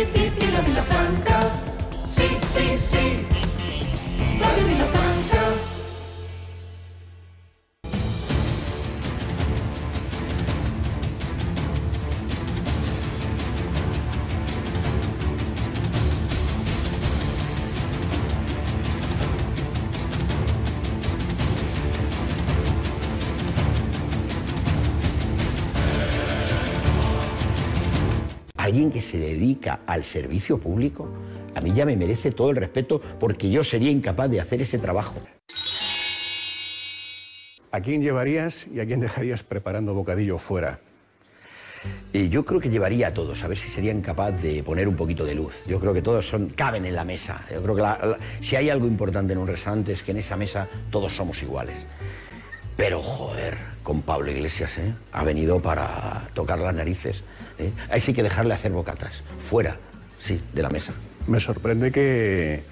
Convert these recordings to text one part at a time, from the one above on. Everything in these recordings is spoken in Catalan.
la Vilafranca. Sí, sí, sí. Radio Vilafranca. Alguien que se dedica al servicio público, a mí ya me merece todo el respeto porque yo sería incapaz de hacer ese trabajo. ¿A quién llevarías y a quién dejarías preparando bocadillo fuera? Yo creo que llevaría a todos, a ver si serían capaces de poner un poquito de luz. Yo creo que todos caben en la mesa. Yo creo que si hay algo importante en un restaurante es que en esa mesa todos somos iguales. Pero, joder, con Pablo Iglesias, ha venido para tocar las narices. Ahí sí que dejarle hacer bocatas, fuera, sí, de la mesa. Me sorprende que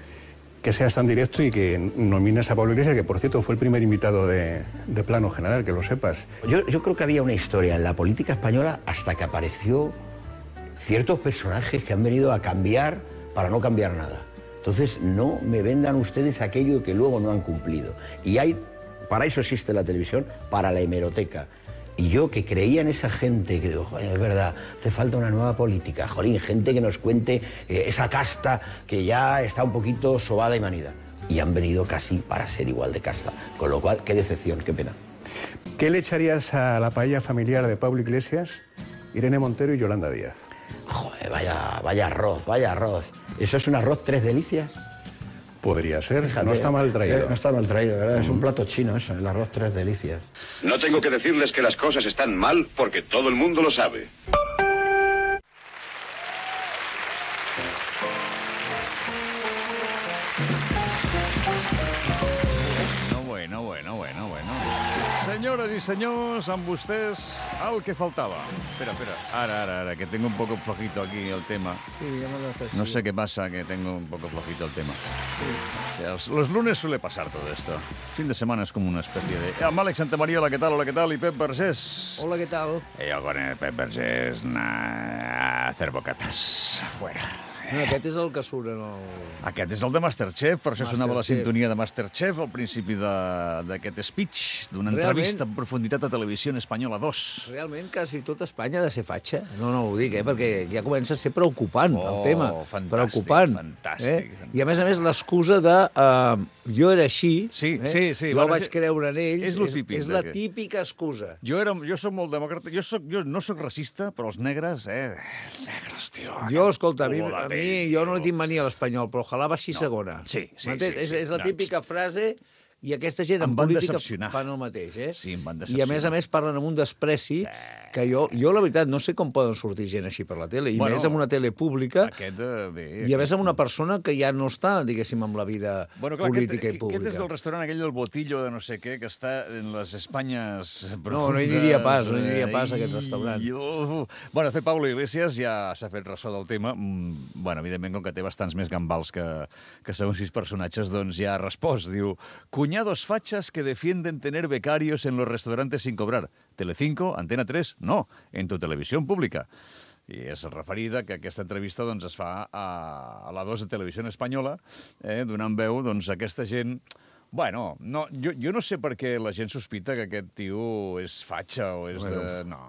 seas tan directo y que nomines a Pablo Iglesias, que por cierto fue el primer invitado de Plano General, que lo sepas. Yo creo que había una historia en la política española hasta que apareció ciertos personajes que han venido a cambiar para no cambiar nada. Entonces, no me vendan ustedes aquello que luego no han cumplido. Y para eso existe la televisión, para la hemeroteca. Y yo que creía en esa gente, que digo, joder, es verdad, hace falta una nueva política, jolín, gente que nos cuente esa casta que ya está un poquito sobada y manida. Y han venido casi para ser igual de casta, con lo cual, qué decepción, qué pena. ¿Qué le echarías a la paella familiar de Pablo Iglesias, Irene Montero y Yolanda Díaz? Joder, vaya arroz. ¿Eso es un arroz tres delicias? Podría ser, Fíjate, no está mal traído. No está mal traído, ¿verdad? Es un plato chino eso, el arroz tres delicias. No tengo que decirles que las cosas están mal porque todo el mundo lo sabe. Bueno. Senyores i senyors, amb vostès el que faltava. Espera. Ahora, que tengo un poco flojito aquí el tema. Sí, ya me lo haces. No sé qué pasa, que tengo un poco flojito el tema. Sí. O sea, los lunes suele pasar todo esto. Fin de semana es como una especie de... Àlex Santamaría, hola, ¿qué tal? Y Pep Vergés. Hola, ¿qué tal? Y yo con el Pep Vergés a hacer bocatas afuera. No, aquest és el que surt en el... Aquest és el de Masterchef, per això sonava la Masterchef. sintonia de Masterchef al principi d'aquest speech, d'una entrevista en profunditat a Televisió Espanyola 2. Realment, quasi tot Espanya ha de ser fatxa. No ho dic, perquè ja comença a ser preocupant el tema. Fantàstic, preocupant. fantàstic. I a més, l'excusa de jo era així, Sí. jo vaig creure en ells, És lo típic. és la típica excusa. Jo soc molt demòcrata, jo no soc racista, però els negres, negres, tio. Jo, escolta, a mi pell, jo no li tinc mania a l'espanyol, però ojalà baixi segona. Sí. M'entens? És la típica frase... I aquesta gent en Em van política decepcionar. fan el mateix, Sí, em van I a més parlen amb un despreci que jo, la veritat, no sé com poden sortir gent així per la tele, i més amb una tele pública, i a més amb una persona que ja no està, diguéssim, amb la vida política i pública. Aquest és del restaurant aquell del Botillo de no sé què, que està en les Espanyes profundes. No hi aniria pas, a aquest restaurant. Bueno, de fet, Pablo Iglesias ja s'ha fet ressò del tema. Bueno, evidentment, com que té bastants més gambals que segons sis personatges, doncs ja ha respost. Diu, cuñados fachas que defienden tener becarios en los restaurantes sin cobrar. Telecinco, Antena 3, no, en tu televisión pública. I és referida que aquesta entrevista doncs, es fa a la 2 de Televisió Espanyola, donant veu doncs, a aquesta gent... Bueno, no, jo no sé per què la gent sospita que aquest tio és fatxa o és de... No.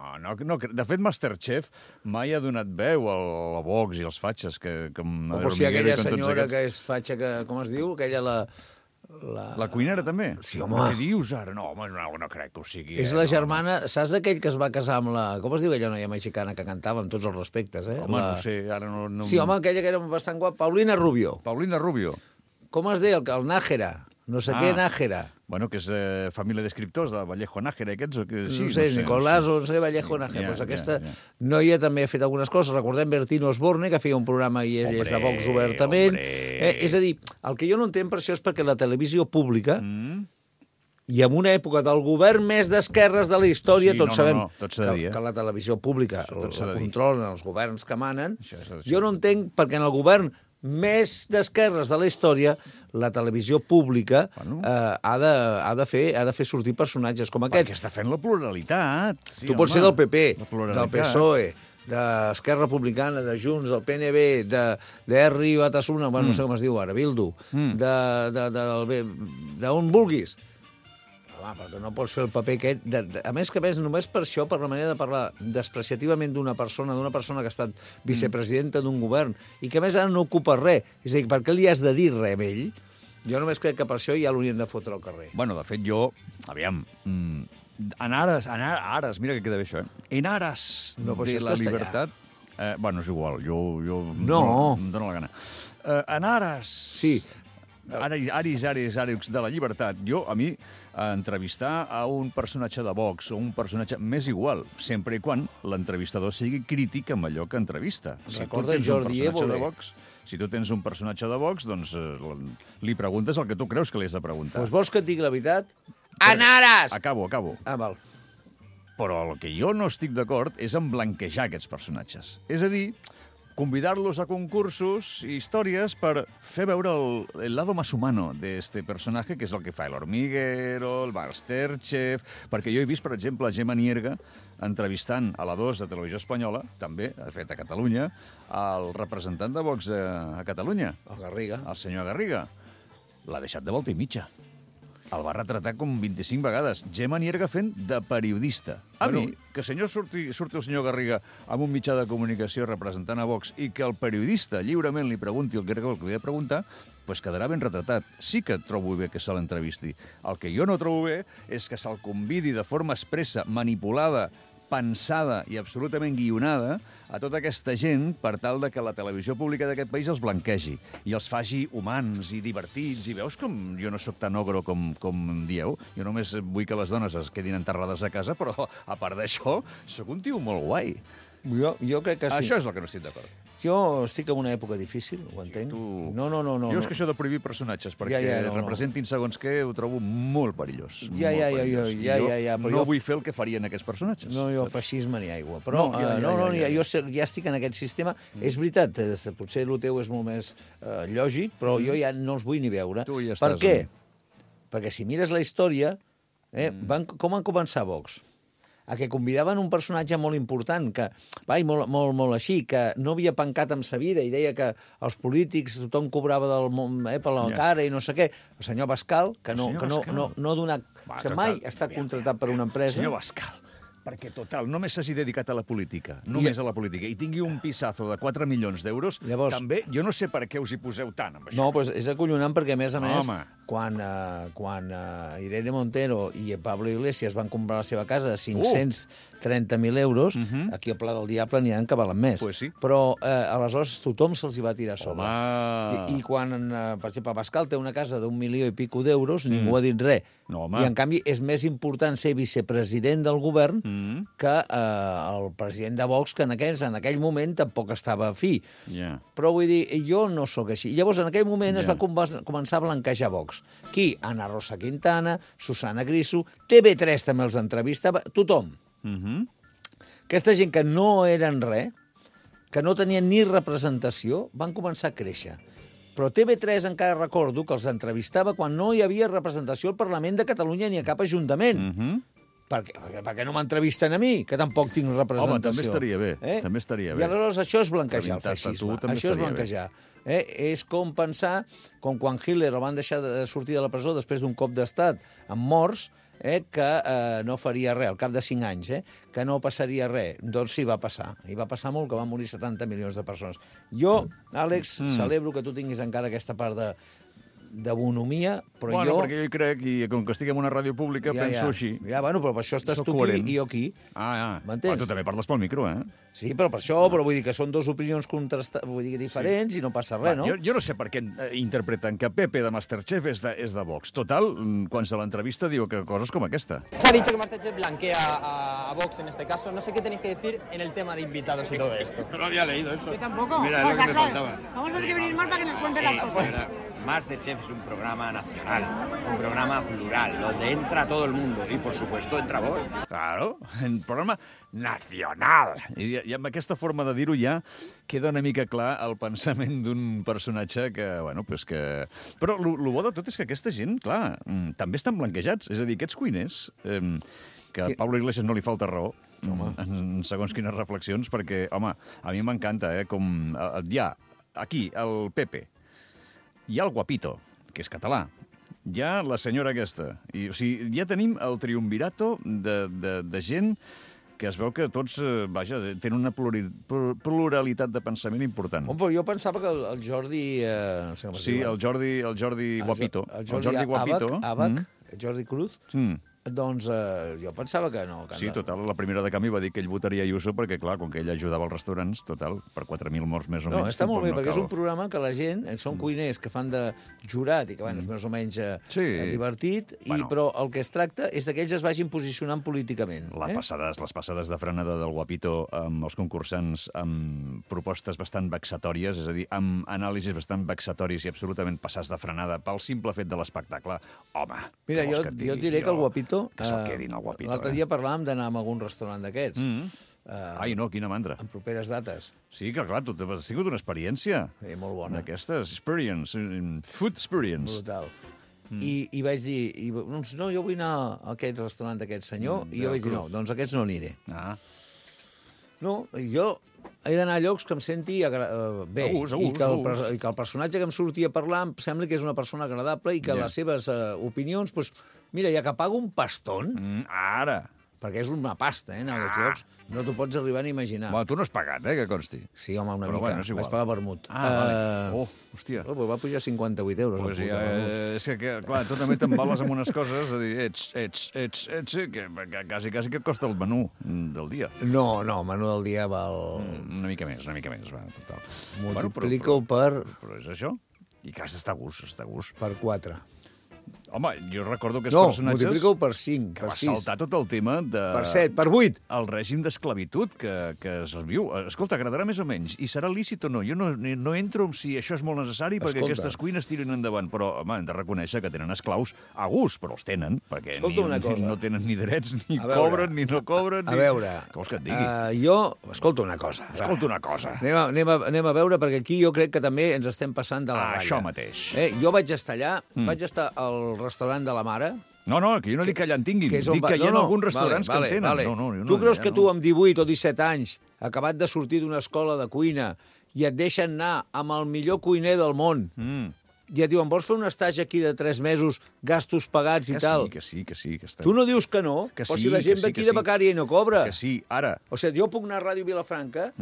De fet, Masterchef mai ha donat veu a Vox i als fatxes. O per si aquella senyora que és fatxa, com es diu? Aquella, la cuinera també? Sí, home. Què dius ara? No, home, no crec que ho sigui. És la germana... Saps aquell que es va casar amb la... Com es diu aquella noia mexicana que cantava amb tots els respectes, Home, no sé, ara no... Sí, home, aquella que era bastant guapa. Paulina Rubio. Paulina Rubio. Com es deia? El Nájera. No sé què, Nájera. Bueno, que és família d'escriptors de Vallejo Nájera, aquests o què? No sé, Nicolás o no sé, Vallejo Nájera. Doncs aquesta noia també ha fet algunes coses. Recordem Bertino Osborne, que feia un programa i és de Vox obertament. És a dir, el que jo no entenc per això és perquè la televisió pública, i en una època del govern més d'esquerres de la història, tots sabem que la televisió pública la controlen els governs que manen, jo no entenc perquè en el govern més d'esquerres de la història, la televisió pública ha de fer sortir personatges com aquests. Perquè està fent la pluralitat. Tu pots ser del PP, del PSOE, d'Esquerra Republicana, de Junts, del PNB, d'Erri Batasuna, bueno, no sé com es diu ara, Bildu, d'on vulguis. Home, perquè no pots fer el paper aquest... A més que més, només per això, per la manera de parlar despreciativament d'una persona que ha estat vicepresidenta d'un govern i que a més ara no ocupa res. És a dir, per què li has de dir res a ell? Jo només crec que per això ja l'haurien de fotre al carrer. Bueno, de fet, jo... Aviam... En ares, mira que queda bé això, En aras No, però de això és la castellà. libertat... bueno, és igual, jo No. em dono la gana. En ares... Sí. Aris de la llibertat. A mi, entrevistar a un personatge de Vox o un personatge m'és igual, sempre i quan l'entrevistador sigui crític amb allò que entrevista. Recorda Jordi Évole. Si tu tens un personatge de Vox, doncs li preguntes el que tu creus que li has de preguntar. Doncs vols que et digui la veritat? En ares! Acabo. Ah, val. Però el que jo no estic d'acord és en blanquejar aquests personatges. És a dir, convidar-los a concursos i històries per fer veure el lado más humano de este personaje, que és el que fa el Hormiguero, el Masterchef... Perquè jo he vist, per exemple, Gemma Nierga entrevistant a la 2 de Televisió Espanyola, també, de fet, a Catalunya, el representant de Vox a Catalunya, El Garriga. el senyor Garriga. L'ha deixat de volta i mitja. El va retratar com 25 vegades. Gemma Nierga fent de periodista. A mi, que surti el senyor Garriga amb un mitjà de comunicació representant a Vox i que el periodista lliurement li pregunti el que li ha de preguntar, doncs quedarà ben retratat. Sí que trobo bé que se l'entrevisti. El que jo no trobo bé és que se'l convidi de forma expressa, manipulada, pensada i absolutament guionada a tota aquesta gent per tal de que la televisió pública d'aquest país els blanquegi i els faci humans i divertits. I veus com jo no sóc tan ogro com em dieu? Jo només vull que les dones es quedin enterrades a casa, però a part d'això, sóc un tio molt guai. Jo crec que sí. Això és el que no estic d'acord. Jo estic en una època difícil, ho entenc. No. Jo és que això de prohibir personatges perquè representin segons què ho trobo molt perillós. Ja, però no vull fer el que farien aquests personatges. No, jo feixisme ni aigua. Però jo ja estic en aquest sistema. És veritat, potser el teu és molt més lògic, però jo ja no els vull ni veure. Per què? Perquè si mires la història, com van començar Vox? A que convidaven un personatge molt important, molt així, que no havia pencat amb sa vida i deia que els polítics tothom cobrava per la cara i no sé què. El senyor Bascal, que no ha donat... Que mai està contratat per una empresa. Senyor Bascal, perquè, total, només s'hagi dedicat a la política, només a la política, i tingui un pisazo de 4 milions d'euros, també jo no sé per què us hi poseu tant amb això. No, doncs és acollonant perquè, a més, quan Irene Montero i Pablo Iglesias van comprar la seva casa de 530.000 euros, aquí al Pla del Diable n'hi ha que valen més. Però aleshores tothom se'ls hi va tirar a sobre. I quan, per exemple, Pascal té una casa d'1 milió i pico d'euros, ningú ha dit res. I, en canvi, és més important ser vicepresident del govern que el president de Vox, que en aquell moment tampoc estava fi. Però vull dir, jo no sóc així. Llavors, en aquell moment es va començar a blanquejar Vox. Qui? Ana Rosa Quintana, Susana Griso, TV3 també els entrevistava, tothom. Aquesta gent que no eren res, que no tenien ni representació, van començar a créixer. Però TV3 encara recordo que els entrevistava quan no hi havia representació al Parlament de Catalunya ni a cap ajuntament. Per què no m'entrevisten a mi, que tampoc tinc representació? Home, també estaria bé. També estaria bé. I aleshores això és blanquejar el feixisme. Això és blanquejar. És com pensar, com quan Hitler el van deixar de sortir de la presó després d'un cop d'estat amb morts, que no faria res, al cap de 5 anys, que no passaria res. Doncs sí, va passar. I va passar molt, que van morir 70 milions de persones. Jo, Àlex, celebro que tu tinguis encara aquesta part de bonomia, però perquè jo hi crec, i com que estic en una ràdio pública, penso així. Però per això estàs tu aquí i jo aquí. M'entens? Tu també parles pel micro, Sí, però per això, vull dir que són dues opinions diferents i no passa res, no? Jo no sé per què interpreten que Pepe de Masterchef és de Vox. Total, quan se l'entrevista diu que coses com aquesta. Se ha dicho que Masterchef blanquea a Vox en este caso. No sé qué tenéis que decir en el tema de invitados y todo esto. No lo había leído eso. Yo tampoco. Mira, es lo que me faltaba. Vamos a tener que venir más para que nos cuenten las cosas. Masterchef es un programa nacional, un programa plural, donde entra todo el mundo y, por supuesto, entra Vox. Claro, un programa nacional. I amb aquesta forma de dir-ho ja queda una mica clar el pensament d'un personatge que, pues que... Però el bo de tot és que aquesta gent, clar, també estan blanquejats. És a dir, aquests cuiners que a Pablo Iglesias no li falta raó, en segons quines reflexions, perquè, home, a mi m'encanta, com hi ha aquí el Pepe, hi ha el Guapito, que és català, hi ha la senyora aquesta, o sigui, ja tenim el triumvirato de gent que es veu que tots, vaja, tenen una pluralitat de pensament important. Però jo pensava que el Jordi... Sí, el Jordi Guapito. El Jordi Guapito. Jordi Cruz. Doncs jo pensava que no. Sí, total, la primera de canvi va dir que ell votaria Ayuso perquè, clar, com que ell ajudava als restaurants, total, per 4.000 morts més o menys... No, està molt bé, perquè és un programa que la gent, són cuiners que fan de jurat i que, bueno, és més o menys divertit, però el que es tracta és que ells es vagin posicionant políticament. Les passades de frenada del Guapito amb els concursants amb propostes bastant vexatòries, és a dir, amb anàlisis bastant vexatoris i absolutament passats de frenada pel simple fet de l'espectacle. Home, mira, jo et diré que el Guapito... Que se'l quedin, el Guapito. L'altre dia parlàvem d'anar a algun restaurant d'aquests. Ai, no, quina mandra. En properes dates. Sí, que clar, tu has tingut una experiència. Sí, molt bona. D'aquestes, food experience. Brutal. I vaig dir, no, jo vull anar a aquest restaurant d'aquest senyor, i jo vaig dir, no, doncs aquests no aniré. No, jo he d'anar a llocs que em senti bé, i que el personatge que em sortia parlant em sembla que és una persona agradable i que les seves opinions, doncs, mira, ja que pago un paston... Ara! Perquè és una pasta, en aquests llocs. No t'ho pots arribar a imaginar. Bueno, tu no has pagat, que consti. Sí, home, una mica. Bueno, vaig pagar vermut. Vale. Hòstia. Va pujar 58 euros. Pues és que, clar, tu també t'embales amb unes coses, a dir, que quasi que et costa el menú del dia. No, el menú del dia val... Una mica més, va, total. Multiplica-ho per... Però és això. I que has d'estar a gust, Per 4. Home, jo recordo que els personatges... No, multiplica-ho per 5, per 6. Que va saltar tot el tema de... Per 7, per 8. El règim d'esclavitud que es viu. Escolta, agradarà més o menys. I serà lícit o no? Jo no entro en si això és molt necessari perquè aquestes cuines tiren endavant. Però, home, hem de reconèixer que tenen esclaus a gust, però els tenen, perquè no tenen ni drets, ni cobren, ni no cobren... A veure... Què vols que et digui? Escolta una cosa. Anem a veure, perquè aquí jo crec que també ens estem passant de la ratlla. Això mateix. Jo vaig estar allà, vaig estar al restaurant de la mare. No, que jo no dic que allà en tinguin, dic que hi ha alguns restaurants que en tenen. Tu creus que tu amb 18 o 17 anys, acabat de sortir d'una escola de cuina, i et deixen anar amb el millor cuiner del món, i et diuen, vols fer un estatge aquí de 3 mesos, gastos pagats i tal? Que sí. Tu no dius que no? Però si la gent ve aquí de becària i no cobra. Que sí, ara. O sigui, jo puc anar a Ràdio Vilafranca...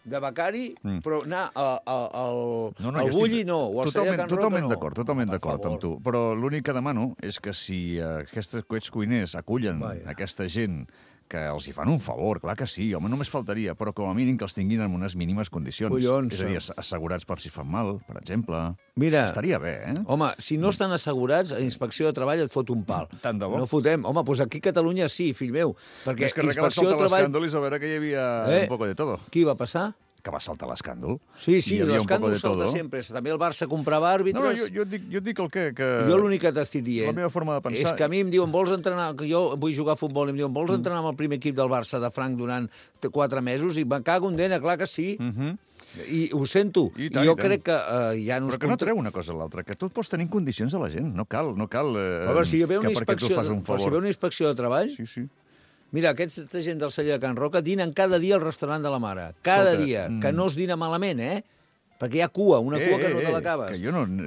de becari, però anar al Bulli no, o al Celler Can Roca no. Totalment d'acord amb tu. Però l'únic que demano és que si aquests cuiners acullen aquesta gent que els hi fan un favor, clar que sí, home, només faltaria, però com a mínim que els tinguin en unes mínimes condicions. És a dir, assegurats per si fan mal, per exemple. Mira, estaria bé, Home, si no estan assegurats, a Inspecció de Treball et fot un pal. Tant de bo. No fotem. Home, doncs aquí a Catalunya sí, fill meu. Perquè és que Inspecció de Treball... l'escàndol i saber que hi havia un poco de todo. Qui va passar? Que va saltar l'escàndol. Sí, l'escàndol salta sempre. També el Barça comprava àrbitres... No, jo dic el que... Jo l'únic que t'estic dient... La meva forma de pensar... És que a mi em diuen, vols entrenar... Jo vull jugar a futbol i em diuen, vols entrenar amb el primer equip del Barça de Franc durant 4 mesos? I me cago en dena, clar que sí. I ho sento. I jo crec que ja no... Però que no treu una cosa a l'altra, que tu pots tenir condicions a la gent. No cal però si hi ve una inspecció de treball... Sí. Mira, aquesta gent del Celler de Can Roca dinen cada dia al restaurant de la mare. Cada dia. Que no es dina malament, Perquè hi ha cua, una cua que no te l'acabes.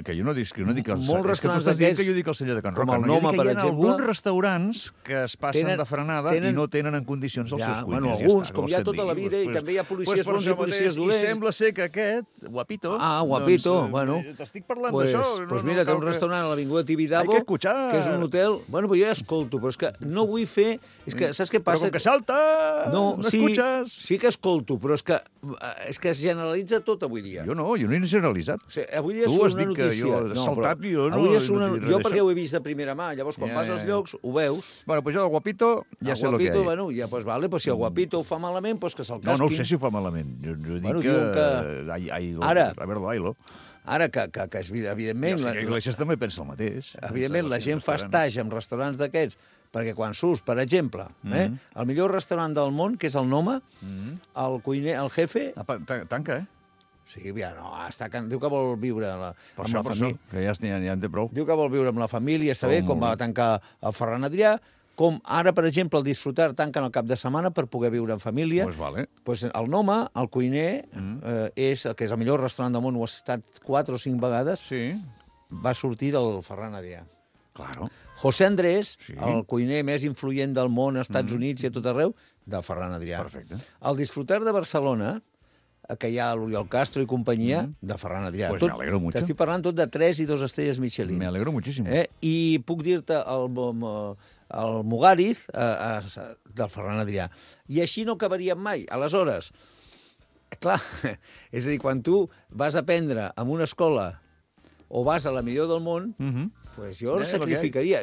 Que jo no dic que... Molts restaurants d'aquests... que jo dic el Celler de Can Roca. Com el Noma, per exemple... Hi ha alguns restaurants que es passen de frenada i no tenen en condicions els seus cuiners. Alguns, com hi ha tota la vida, i també hi ha policies bons i policies dolents. I sembla ser que aquest, Guapito... Guapito, bueno... T'estic parlant d'això. Doncs mira, té un restaurant a l'Avinguda Tibidabo, que és un hotel... Bueno, però jo ja escolto, però és que no vull fer... És que saps què passa? Però com que salta, no escuches... Sí que escolto, però és que es generalitza tot avui dia. Jo no he generalitzat. O sigui, avui dia és una notícia. Jo he saltat i jo no... Jo perquè ho he vist de primera mà, llavors quan vas als llocs ho veus. Bueno, pues jo del Guapito ja sé el que hi ha. Bueno, ja, pues vale, pues si el Guapito ho fa malament, pues que se'l casquin. No ho sé si ho fa malament. Jo dic que... Ara, a veure, bailo. Ara que evidentment... Jo sé que Iglesias també pensa el mateix. Evidentment, la gent fa estatge amb restaurants d'aquests, perquè quan surts, per exemple, el millor restaurant del món, que és el Noma, el cuiner, el jefe... Tanca, Sí, ja no, diu que vol viure amb la família. Que ja en té prou. Diu que vol viure amb la família, saber com va tancar el Ferran Adrià, com ara, per exemple, el Disfrutar tanquen el cap de setmana per poder viure en família. Pues vale. Pues el Noma, el cuiner, és el millor restaurant del món, ho ha estat 4 o 5 vegades, Sí, va sortir del Ferran Adrià. claro. José Andrés, Sí. el cuiner més influent del món, als Estats Units i a tot arreu, de Ferran Adrià. Perfecte. El Disfrutar de Barcelona, que hi ha l'Oriol Castro i companyia, de Ferran Adrià. Pues me alegro mucho. T'estic parlant tot de 3 i 2 estrelles Michelin. Me alegro muchísimo. I puc dir-te el Mugariz del Ferran Adrià. I així no acabaríem mai. Aleshores, clar, és a dir, quan tu vas a aprendre en una escola o vas a la millor del món, pues jo el sacrificaria.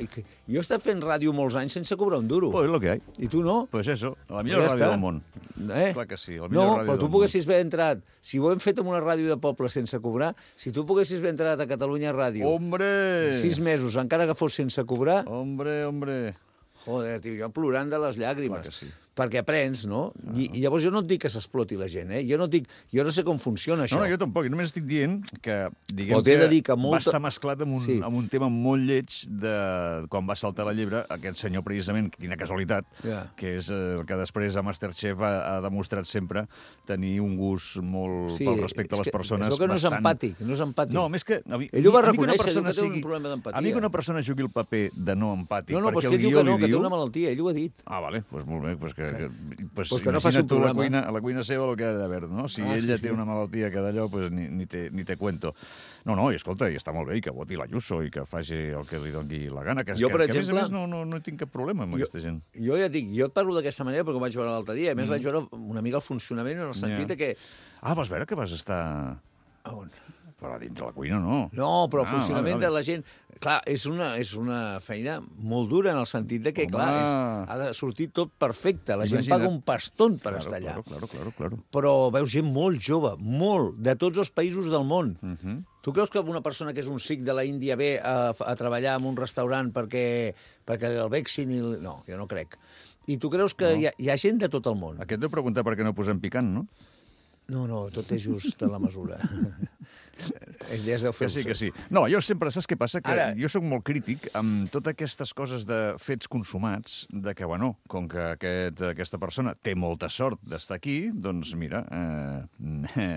Jo he estat fent ràdio molts anys sense cobrar un duro. Pues lo que hay. I tu no? Pues eso, la millor Ja ràdio està. del món. Clar que sí, la millor No, ràdio però del tu món. poguessis haver entrat, si ho hem fet en una ràdio de poble sense cobrar, si tu poguessis haver entrat a Catalunya Ràdio Hombre! 6 mesos, encara que fos sense cobrar, Hombre. joder, tio, jo plorant de les llàgrimes. Clar que sí. Perquè aprens, no? I llavors jo no et dic que s'exploti la gent, Jo no sé com funciona això. No, jo tampoc. Jo només estic dient que, diguem Però t'he de dir que que molta- va estar mesclat amb Sí. un tema molt lleig de quan va saltar la llebre aquest senyor, precisament, quina casualitat, Ja. que és el que després a Masterchef ha demostrat sempre tenir un gust molt pel respecte a les persones. És el que no és bastant... empàtic, no és empàtic. No, més que... Ell ho va a mi que una reconèixer, diu persona que té un problema d'empatia. A mi que una persona jugui el paper de no empàtic, No, però és perquè que el ell diu guió que no, li que té diu... una malaltia, ell ho ha dit. Ah, vale, doncs molt bé. Pues Pues que no faci un imagina't tu programa. a la cuina seva el que ha d'haver, no? Si ella té una malaltia que d'allò, pues ni te cuento. No, i escolta, i està molt bé, i que voti l'Ayuso, i que faci el que li doni la gana, que, Jo, per que a més exemple, a més no tinc cap problema amb aquesta gent. Jo ja et dic, jo et parlo d'aquesta manera perquè ho vaig veure l'altre dia. A més, vaig veure una mica el funcionament en el sentit de que... Ah, vas veure que vas estar... On? Però a dins de la cuina, no. No, però el funcionament vale. de la gent... Clar, és una feina molt dura en el sentit de que, Home. clar, ha de sortir tot perfecte. La gent Imagina't. paga un paston per estar allà. Claro. Però veus gent molt jove, molt, de tots els països del món. Tu creus que una persona que és un sikh de la Índia ve a treballar en un restaurant perquè el vexin? No, jo no crec. I tu creus que hi ha gent de tot el món? Aquest deu preguntar per què no posem picant, no? No, tot és just a la mesura. Ell ja es deu fer... Que sí. No, jo sempre, saps què passa? Que Ara... jo sóc molt crític amb totes aquestes coses de fets consumats, de que, bueno, com que aquesta persona té molta sort d'estar aquí, doncs mira,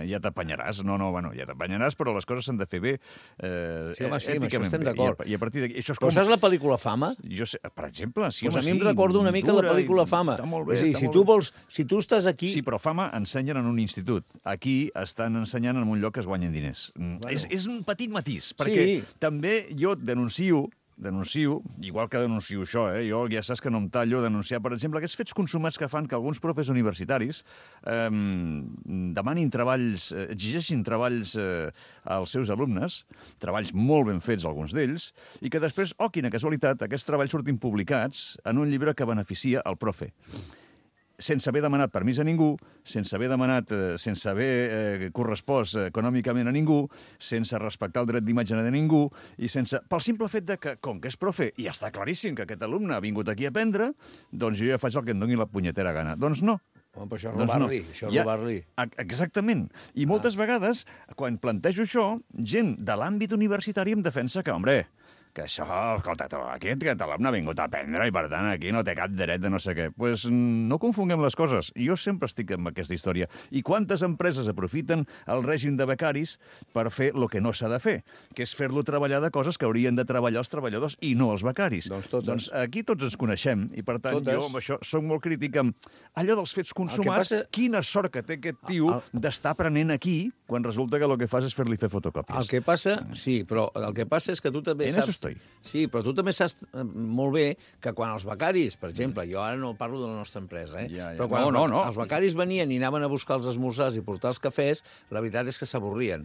ja t'apanyaràs. No, ja t'apanyaràs, però les coses s'han de fer bé. Sí, home, sí, amb això èticament estem bé. d'acord. I a partir d'aquí... Però saps la pel·lícula Fama? Jo sé, per exemple, sí, Pues home, a mi em recorda una mica la pel·lícula Fama. Està molt bé, és a dir, està molt bé. si tu estàs aquí... Sí, però Fama ensenyen en un institut. Aquí estan ensenyant en un lloc que es guanyen diners. Bueno. És un petit matís, perquè també jo denuncio, igual que denuncio això, jo ja saps que no em tallo, denunciar, per exemple, aquests fets consumats que fan que alguns profes universitaris demanin treballs, exigeixin treballs als seus alumnes, treballs molt ben fets, alguns d'ells, i que després, quina casualitat, aquests treballs surtin publicats en un llibre que beneficia el profe. Sense haver demanat permís a ningú, sense haver correspost econòmicament a ningú, sense respectar el dret d'imatge de ningú, i pel simple fet de que, com que és profe, i està claríssim que aquest alumne ha vingut aquí a aprendre, doncs jo ja faig el que em doni la punyetera gana. Doncs no. Home, però això és robar-li, Exactament. I moltes vegades, quan plantejo això, gent de l'àmbit universitari em defensa que, que això, escolta, aquest alumne ha vingut a aprendre i, per tant, aquí no té cap dret de no sé què. Doncs no confonguem les coses. Jo sempre estic amb aquesta història. I quantes empreses aprofiten el règim de becaris per fer el que no s'ha de fer, que és fer-lo treballar de coses que haurien de treballar els treballadors i no els becaris. Doncs aquí tots ens coneixem i, per tant, jo amb això soc molt crític amb allò dels fets consumats. Quina sort que té aquest tio d'estar aprenent aquí quan resulta que el que fas és fer-li fer fotocòpies. El que passa, sí, però el que passa és que tu també saps... Sí, però tu també saps molt bé que quan els becaris, per exemple, jo ara no parlo de la nostra empresa, però quan els becaris venien i anaven a buscar els esmorzars i portar els cafès, la veritat és que s'avorrien.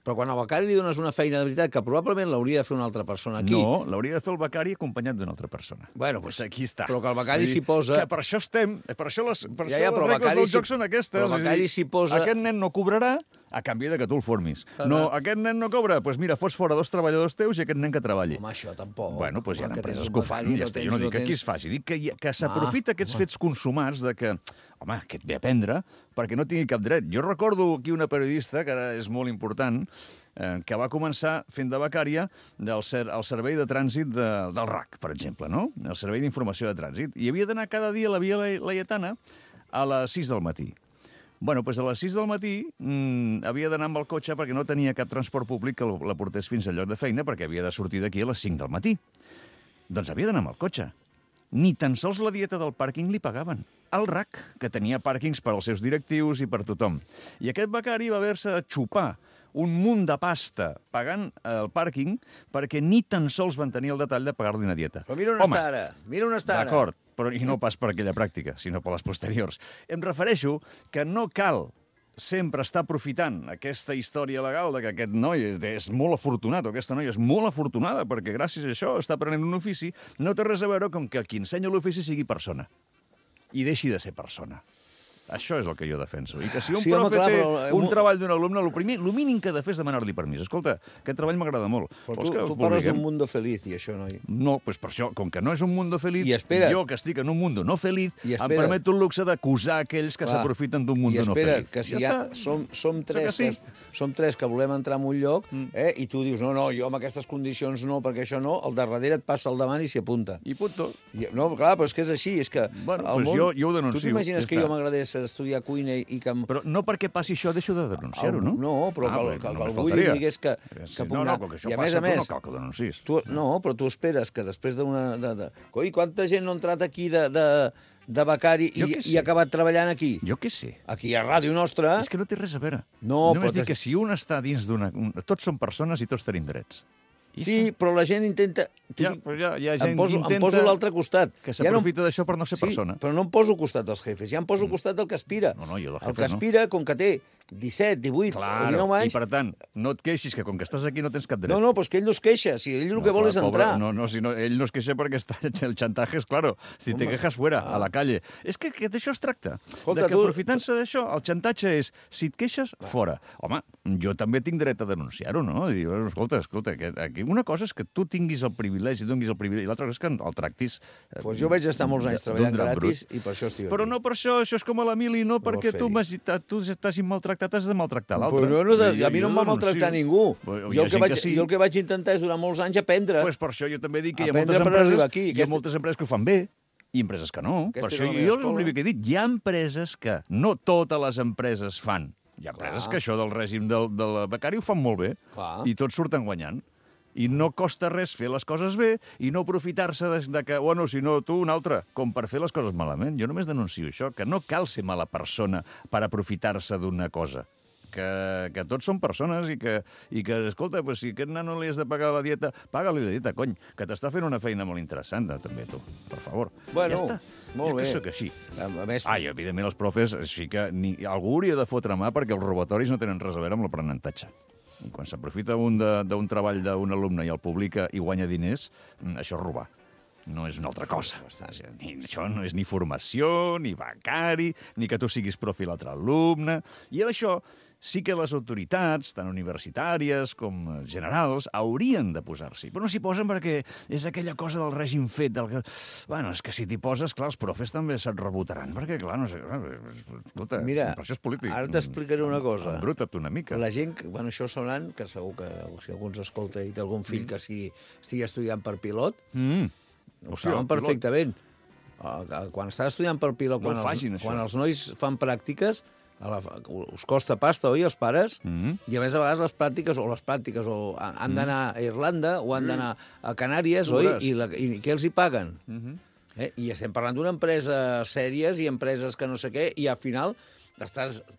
Però quan al becari li dones una feina de veritat, que probablement l'hauria de fer una altra persona aquí... No, l'hauria de fer el becari acompanyat d'una altra persona. Bueno, doncs aquí està. Però que el becari s'hi posa... Que per això estem, per això les regles del joc són aquestes. Però el becari s'hi posa... Aquest nen no cobrarà, a canvi de que tu el formis. No, aquest nen no cobra, doncs mira, fos fora 2 treballadors teus i aquest nen que treballi. Home, això tampoc. Bueno, doncs hi ha Que empreses tens que ho un fan, becari, ja està. Jo no dic que aquí es faci, dic que s'aprofita aquests fets consumats de que, home, que et ve a prendre, perquè no tingui cap dret. Jo recordo aquí una periodista, que ara és molt important, que va començar fent de becària al servei de trànsit del RAC, per exemple, no? El servei d'informació de trànsit. I havia d'anar cada dia a la Via Laietana a les 6 del matí. Bueno, doncs a les 6 del matí havia d'anar amb el cotxe perquè no tenia cap transport públic que la portés fins al lloc de feina, perquè havia de sortir d'aquí a les 5 del matí. Doncs havia d'anar amb el cotxe. Ni tan sols la dieta del pàrquing li pagaven. El RAC, que tenia pàrquings per als seus directius i per tothom. I aquest becari va haver-se de xupar un munt de pasta pagant el pàrquing perquè ni tan sols van tenir el detall de pagar-li una dieta. Però mira on està ara, mira on està ara. D'acord, però i no pas per aquella pràctica, sinó per les posteriors. Em refereixo que no cal sempre estar aprofitant aquesta història legal de que aquest noi és molt afortunat o aquesta noia és molt afortunada perquè gràcies a això està aprenent un ofici, no té res a veure com que qui ensenya l'ofici sigui persona i deixi de ser persona. Això és el que jo defenso. I que si un profe té un treball d'un alumne, el mínim que ha de fer és demanar-li permís. Escolta, aquest treball m'agrada molt. Però tu parles d'un mundo feliz, i això, noi? No, doncs per això, com que no és un mundo feliz, jo que estic en un mundo no feliz, em permeto el luxe d'acusar aquells que s'aprofiten d'un mundo no feliz. Que si ja som tres que volem entrar en un lloc, i tu dius, no, jo amb aquestes condicions no, perquè això no, el de darrere et passa al davant i s'hi apunta. I punto. No, clar, però és que és així, és que... Bueno, doncs jo ho denuncio. Tu t'imagines que jo m'agradés estudiar cuina i que... Però no perquè passi això deixo de denunciar-ho, no? No, però que algú li digués que puc anar... No, que això passa, però no cal que ho denuncis. No, però tu esperes que després d'una... Coi, quanta gent no ha entrat aquí de becari i ha acabat treballant aquí? Jo què sé. Aquí a Ràdio Nostra... És que no té res a veure. No, només dic que si un està dins d'una... Tots són persones i tots tenim drets. Sí, però la gent intenta... Em poso a l'altre costat. Que s'aprofita d'això per no ser persona. Sí, però no em poso al costat dels jefes, ja em poso al costat del que aspira. No, jo del jefe no. El que aspira, com que té 17, 18 o 19 anys... I per tant, no et queixis que com que estàs aquí no tens cap dret. No, però és que ell no es queixa, si ell el que vol és entrar. Ell no es queixa perquè el xantatge és claro. Si te quejas fuera, a la calle. És que d'això es tracta. De que aprofitant-se d'això, el xantatge és, si et queixes, fora. Home, jo també tinc dret a denunciar-ho, no? I dir, escolta, aquí una cosa és que tu tinguis el privilegi, donis el privilegi, i l'altra cosa és que el tractis... Doncs jo vaig estar molts anys treballant gratis i per això estic aquí. Però no per això és com a la mili, no perquè tu estàs maltractat, has de maltractar l'altre. A mi no em va maltractar ningú. Jo el que vaig intentar és durant molts anys aprendre. Doncs per això jo també dic que hi ha moltes empreses que ho fan bé i empreses que no. Per això jo l'únic que he dit, hi ha empreses que no totes les empreses fan. Hi ha empreses que això del règim del becari ho fan molt bé i tots surten guanyant. I no costa res fer les coses bé i no aprofitar-se de que, bueno, si no, tu un altre, com per fer les coses malament. Jo només denuncio això, que no cal ser mala persona per aprofitar-se d'una cosa. Que tots són persones i que escolta, pues, si aquest nano li has de pagar la dieta, paga-li la dieta, cony, que t'està fent una feina molt interessant, també, tu, per favor. Bueno, ja està. molt bé. Jo que sóc així. I evidentment, els profes, així que algú hauria de fotre mà perquè els robatoris no tenen res a veure amb l'aprenentatge. I quan s'aprofita d'un treball d'un alumne i el publica i guanya diners, això és robar. No és una altra cosa. Això no és ni formació, ni becari, ni que tu siguis profi l'altre alumne. I això sí que les autoritats, tant universitàries com generals, haurien de posar-s'hi. Però no s'hi posen perquè és aquella cosa del règim fet. Bueno, és que si t'hi poses, clar, els profes també se't rebotaran, perquè, clar, no sé... Escolta, mira, per això és polític. Ara t'explicaré una cosa. Embruta't una mica. La gent, bueno, això sonant, que segur que si algú ens escolta i té algun fill que estigui estudiant per pilot, ho saben perfectament. Quan està estudiant per pilot, quan els nois fan pràctiques, us costa pasta, oi, els pares? I a més a vegades les pràctiques han d'anar a Irlanda o han d'anar a Canàries, oi? I què els hi paguen? I estem parlant d'una empresa sèries i empreses que no sé què, i al final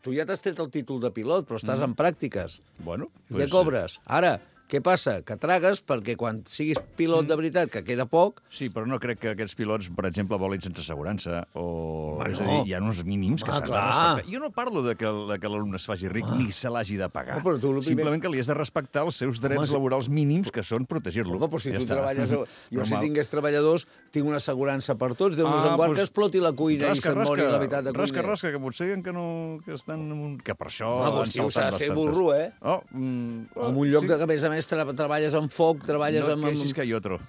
tu ja t'has tret el títol de pilot, però estàs en pràctiques. Bueno, què cobres? Ara, Què passa? Que tragues perquè quan siguis pilot de veritat, que queda poc... Sí, però no crec que aquests pilots, per exemple, volin sense assegurança o... Home, És a no. dir, hi ha uns mínims que Home, s'han de clar. respectar. Jo no parlo de que l'alumne es faci ric ni se l'hagi de pagar. No, però tu el primer- Simplement que li has de respectar els seus drets laborals mínims, que són protegir-lo. Home, però si Ja tu està. treballes... Jo, si Normal. tingués treballadors, tinc una assegurança per tots. Déu-nos en guard que exploti la cuina i se't mori la meitat de cuiner. Rasca, que potser que no... Que estan... Que per això Home, han doncs, tio, saltat s'ha de ser bastantes. burro, eh? Oh, En un lloc que, a més, treballes amb foc, treballes no amb... queixis que hay otro.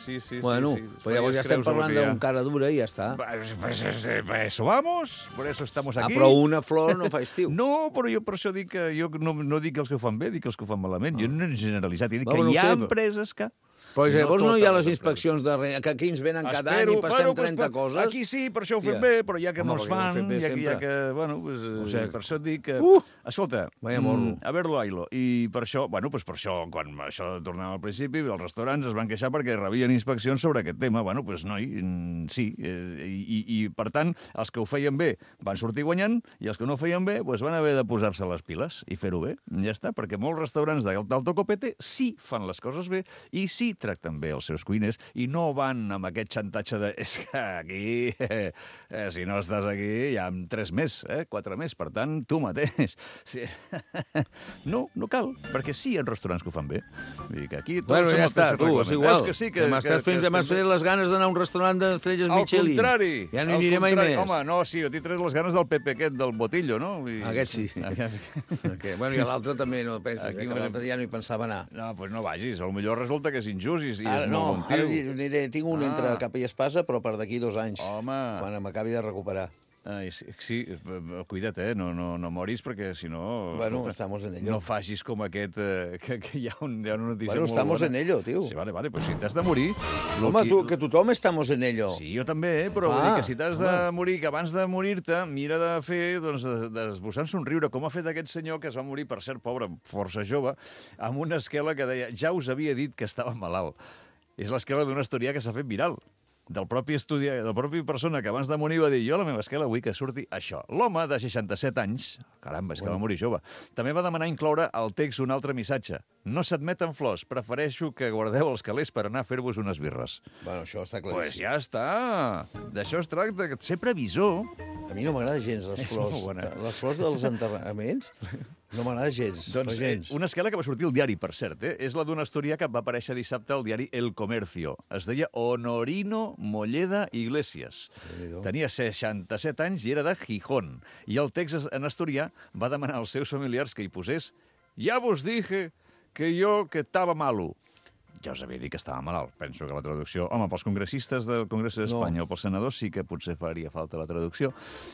Sí, Bueno, sí. pues llavors ja estem parlant d'un cara dura i ja està. Pues eso vamos, por eso estamos aquí. Però una flor no fa estiu. No, però jo per això dic que jo no dic els que ho fan bé, dic els que ho fan malament. Jo no he generalitzat, he dit Bueno, que hi ha no ho sé, però- empreses que... Però llavors no hi ha les totes inspeccions que aquí ens venen cada any i passem 30 coses. Aquí sí, per això ho fem Ja. bé, però ja que Home, no es perquè ho fan, fem bé ja sempre. que bueno, pues, O sigui, per això et dic que... Escolta, Vaya morro. a verlo, Ailo. I per això, bueno, pues per això, quan això tornava al principi, els restaurants es van queixar perquè rebien inspeccions sobre aquest tema. Bueno, pues noi, sí. I per tant, els que ho feien bé van sortir guanyant i els que no ho feien bé pues van haver de posar-se les piles i fer-ho bé. Ja està, perquè molts restaurants d'alto copete sí fan les coses bé i sí tracten bé els seus cuiners i no van amb aquest xantatge de és que aquí, si no estàs aquí, hi ha 3 més, 4 més, per tant, tu mateix. Sí. No cal, perquè sí hi ha restaurants que ho fan bé. Vull dir que aquí... Bueno, ja està, tu, és igual. Veus que sí, que m'has tret les ganes d'anar a un restaurant d'estrelles Michelin. Al contrari. Ja no hi aniré mai més. Home, no, sí, jo t'he tret les ganes del Pepe aquest, del Botillo, no? Aquest sí. Okay. Bueno, i l'altre també no penses, Aquí que l'altre dia no hi pensava anar. No, doncs no vagis. Potser resulta que és injust i és Ara, molt bon tio. ara tinc un entre capa i espasa, però per d'aquí 2 anys. Home. Quan m'acabi de recuperar. Ai, sí, cuida't, no moris, perquè si no... Bueno, estamos en ello. No facis com aquest, que hi ha una notícia Bueno, molt estamos bona. en ello, tio. Sí, vale, pues si t'has de morir... Home, que tothom estamos en ello. Sí, jo també, però vull dir que si t'has de morir, que abans de morir-te, mira de fer, doncs, d'esbossar un somriure, com ha fet aquest senyor que es va morir, per cert, pobre, força jove, amb una esquela que deia, ja us havia dit que estava malalt. És l'esquela d'un asturià que s'ha fet viral. Del propi persona que abans de morir va dir jo a la meva esquela vull que surti això. L'home de 67 anys, caramba, és que va morir jove, també va demanar incloure al text un altre missatge. No s'admeten flors, prefereixo que guardeu els calés per anar a fer-vos unes birres. Bueno, això està Pues claríssim. ja està. D'això es tracta, de ser previsor. A mi no m'agrada gens les És flors. molt bona. Les flors dels enterraments no m'agrada gens. Doncs però gens. una esquela que va sortir al diari, per cert, és la d'un asturià que va aparèixer dissabte al diari El Comercio. Es deia Honorino Molleda Iglesias. Tenia 67 anys i era de Gijón. I el text en asturià va demanar als seus familiars que hi posés «Ja vos dije que yo que estava malo». Ja us havia dit que estava malalt. Penso que la traducció... Home, pels congressistes del Congrés d'Espanya o pels senadors sí que potser faria falta la traducció.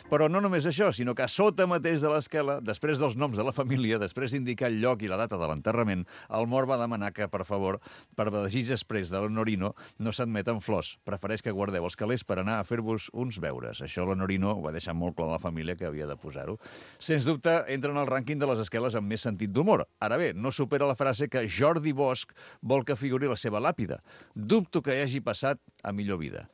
Però no només això, sinó que a sota mateix de l'esquela, després dels noms de la família, després d'indicar el lloc i la data de l'enterrament, el mort va demanar que, per favor, per desig exprés de l'Honorino, no s'admeten flors. Prefereix que guardeu els calés per anar a fer-vos uns beures. Això l'Honorino ho va deixar molt clar a la família que havia de posar-ho. Sens dubte, entra en el rànquing de les esqueles amb més sentit d'humor. Ara bé, no supera la frase que Jordi Bosch vol que figuri la seva làpida. Dubto que hagi passat a millor vida.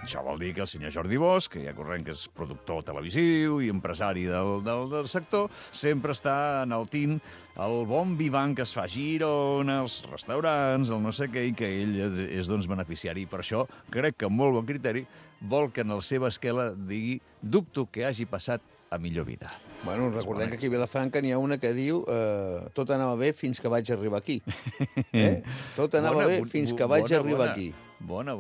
Això vol dir que el senyor Jordi Bosch, que ja corrent que és productor televisiu i empresari del sector, sempre està enaltint el bon vivant que es fa a Girona, els restaurants, el no sé què, i que ell és doncs, beneficiari. I per això, crec que amb molt bon criteri, vol que en la seva esquela digui «Dubto que hagi passat a millor vida». Bueno, recordem que aquí a Vilafranca n'hi ha una que diu tot anava bé fins que vaig arribar aquí. Tot anava bé fins que vaig arribar aquí. Bona.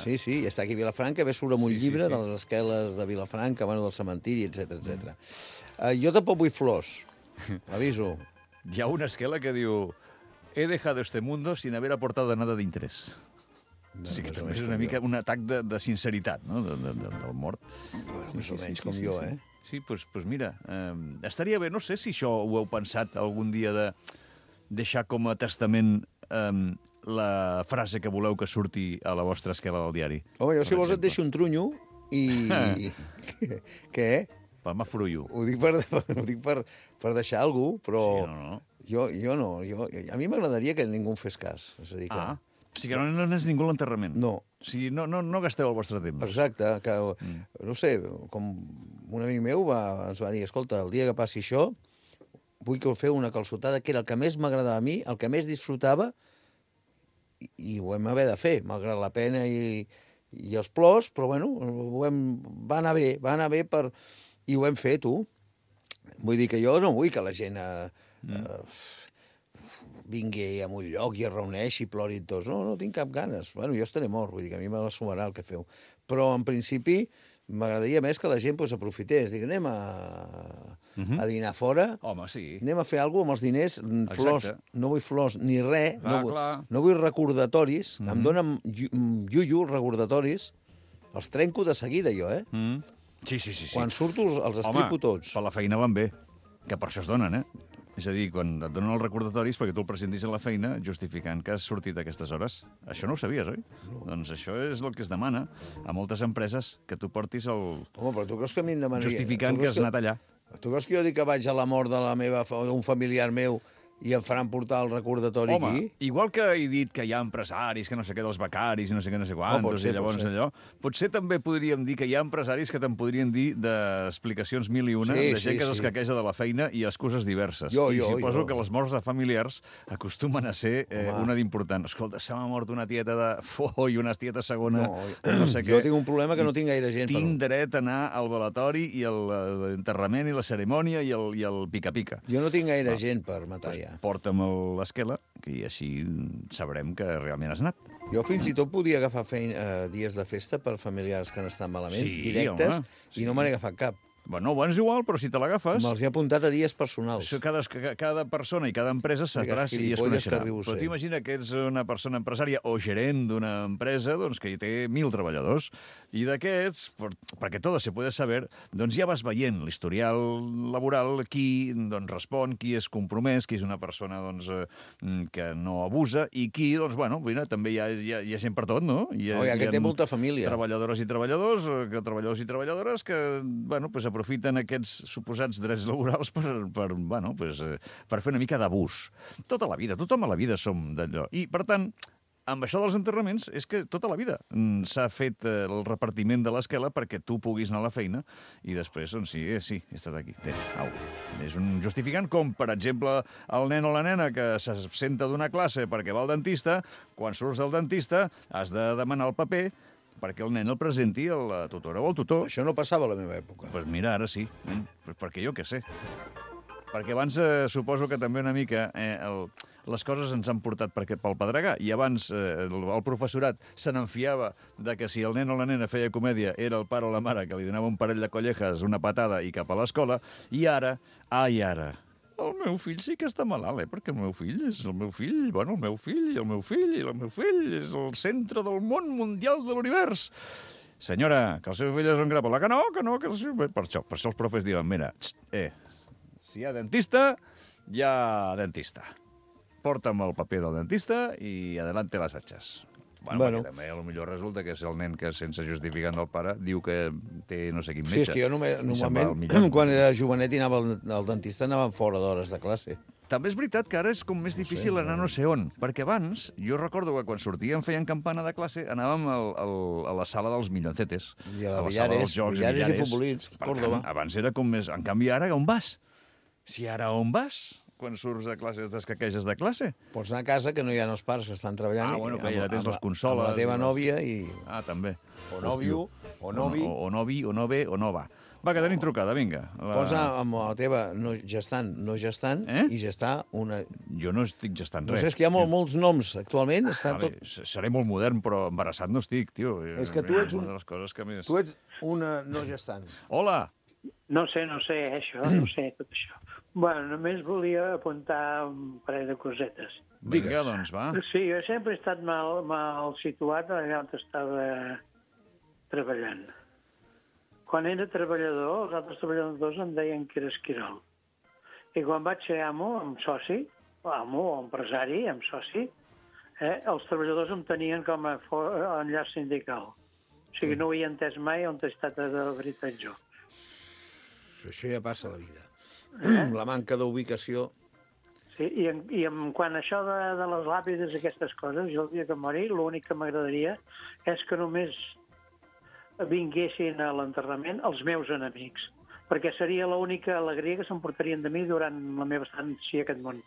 Sí, i està aquí a Vilafranca, ve surt amb un llibre de les esqueles de Vilafranca, bueno, del cementiri, etc. Jo tampoc vull flors, l'aviso. Hi ha una esquela que diu «He dejado este mundo sin haber aportado nada de interés». Sí que també és una mica un atac de sinceritat, no?, del mort. Bueno, més o menys com jo, eh? Sí, doncs mira, estaria bé, no sé si això ho heu pensat algun dia de deixar com a testament la frase que voleu que surti a la vostra esquela del diari. Home, jo si vols et deixo un trunyo i... Què? Palma frullo. Ho dic per deixar algú, però Sí, jo no. A mi m'agradaria que ningú em fes cas. És a dir, que... O sigui que no anés ningú a l'enterrament. No. O sigui, no gasteu el vostre temps. Exacte, que, no sé, com un amic meu ens va dir, escolta, el dia que passi això, vull que feu una calçotada, que era el que més m'agradava a mi, el que més disfrutava, i ho vam haver de fer, malgrat la pena i els plors, però bueno, va anar bé i ho hem fet, tu. Vull dir que jo no vull que la gent vingui a un lloc i es reuneixi, plori tots. No tinc cap ganes. Bueno, jo estaré mort, vull dir que a mi me la sumarà el que feu. Però, en principi, m'agradaria més que la gent aprofités. Dic, anem a dinar fora. Home, sí. Anem a fer alguna cosa amb els diners. Flors, no vull flors ni res. No vull recordatoris. Em donen iuiu recordatoris. Els trenco de seguida, jo, Sí. Quan surto els estripo tots. Per la feina van bé, que per això es donen, És a dir, quan et donen els recordatoris perquè tu el presentis a la feina justificant que has sortit a aquestes hores. Això no ho sabies, oi? No. Doncs això és el que es demana a moltes empreses, que tu portis el... Home, però tu creus que a mi em demanaria... Justificant que has anat allà. Tu creus que jo dic que vaig a la mort d'un familiar meu i em faran portar el recordatori aquí? Home, igual que he dit que hi ha empresaris, que no sé què dels becaris i no sé què, no sé quantos, i llavors allò, potser també podríem dir que hi ha empresaris que te'n podrien dir d'explicacions mil i una, de gent que s'escaqueja de la feina i excuses diverses. I suposo que les morts de familiars acostumen a ser una d'important. Escolta, se m'ha mort una tieta de i una tieta segona, no sé què. Jo tinc un problema que no tinc gaire gent. Tinc dret a anar al velatori i a l'enterrament i la cerimònia i el pica-pica. Jo no tinc gaire gent per matar ja. Porta'm l'esquela, i així sabrem que realment has anat. Jo fins i tot podia agafar dies de festa per familiars que han estat malament, directes, i no me n'he agafat cap. Bueno, és igual, però si te l'agafes... Me'ls he apuntat a dies personals. Cada persona i cada empresa sabrà si es coneixerà. Però t'imagina que ets una persona empresària o gerent d'una empresa que hi té 1.000 treballadors, i d'aquests, perquè tot se puede saber, doncs ja vas veient l'historial laboral, qui respon, qui és compromès, qui és una persona que no abusa, i qui, mira, també hi ha gent per tot, no? Hi ha que té molta família. Treballadores i treballadors i treballadores que, aprofiten aquests suposats drets laborals per fer una mica d'abús. Tota la vida, tothom a la vida som d'allò. I, per tant, amb això dels enterraments és que tota la vida s'ha fet el repartiment de l'esquela perquè tu puguis anar a la feina i després, sí, he estat aquí. És un justificant com, per exemple, el nen o la nena que s'absenta d'una classe perquè va al dentista, quan surts del dentista has de demanar el paper perquè el nen el presenti a la tutora o al tutor. Això no passava a la meva època. Doncs mira, ara sí. Perquè jo què sé. Perquè abans suposo que també una mica les coses ens han portat pel pedregar, i abans el professorat se n'enfiava de que si el nen o la nena feia comèdia era el pare o la mare que li donava un parell de collejas, una patada i cap a l'escola, i ara, el meu fill sí que està malalt, perquè el meu fill és el meu fill, el meu fill és el centre del món mundial de l'univers. Senyora, que el seu fill és un grapolà, que no, que el seu... Per això els profes diuen, mira, si hi ha dentista, hi ha dentista. Porta'm el paper del dentista i adelante les atxes. Perquè també potser resulta que és el nen que, sense justificant del pare, diu que té no sé quin metge. Sí, és que jo normalment, quan era jovenet i anava al dentista, anàvem fora d'hores de classe. També és veritat que ara és com més difícil anar no sé on, perquè abans, jo recordo que quan sortíem feien campana de classe, anàvem a la sala dels milloncetes. I a la Villares i futbolins, Córdoba. Abans era com més... En canvi, ara on vas? Si ara on vas? Quan surts de classe, t'escaqueges de classe? Pots anar a casa, que no hi ha els pares que estan treballant. Que ja tens les consoles. Amb la teva nòvia i... també. O nòvio, o novi. O novi, o nove, o nova. Va, que tenim trucada, vinga. Pots anar amb la teva no gestant i gestar una... Jo no estic gestant res. No sé, és que hi ha molts noms actualment. Seré molt modern, però embarassat no estic, tio. És que tu ets una de les coses que més... Tu ets una no gestant. Hola! No sé, això, no sé, tot això. Bueno, només volia apuntar un parell de cosetes. Vinga, doncs, va. Sí, jo sempre he estat mal situat allà on estava treballant. Quan era treballador, els altres treballadors em deien que era esquirol. I quan vaig ser amo, amb soci, amo o empresari, amb soci, els treballadors em tenien com a enllaç sindical. O sigui, no ho he entès mai on he estat de veritat jo. Això ja passa a la vida. La manca d'ubicació. Sí, i quan això de les làpides, aquestes coses, jo el dia que mori, l'únic que m'agradaria és que només vinguessin a l'enterrament els meus enemics. perquè seria l'única alegria que s'emportarien de mi durant la meva estància a aquest món.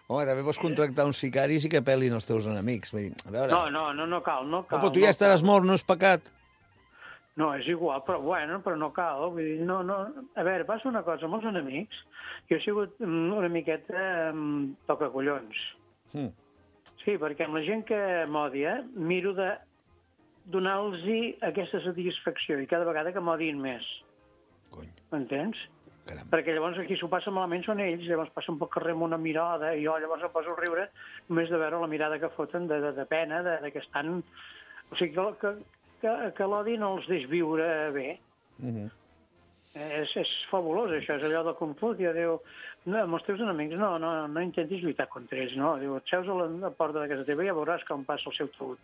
Home, també pots contractar uns sicaris i que pelin els teus enemics. Vull dir, a veure... No cal. Però tu ja estaràs mort, no és pecat. No, és igual, però no cal. Vull dir, no. A veure, passa una cosa, amb els enemics, jo he sigut una miqueta tocacollons. Sí, perquè amb la gent que m'odia, miro de donar-los aquesta satisfacció i cada vegada que m'odien més. Cony. M'entens? Caram. Perquè llavors aquí s'ho passa malament són ells, llavors passen pel carrer amb una mirada i jo llavors em poso a riure només de veure la mirada que foten de pena, de que estan... O sigui, que l'odi no els deix viure bé. És fabulós, això. És allò de Kung Fu, que diu, no, amb els teus enemics no intentis lluitar contra ells, no. Diu, et seus a la porta de casa teva i ja veuràs com passa el seu taüt.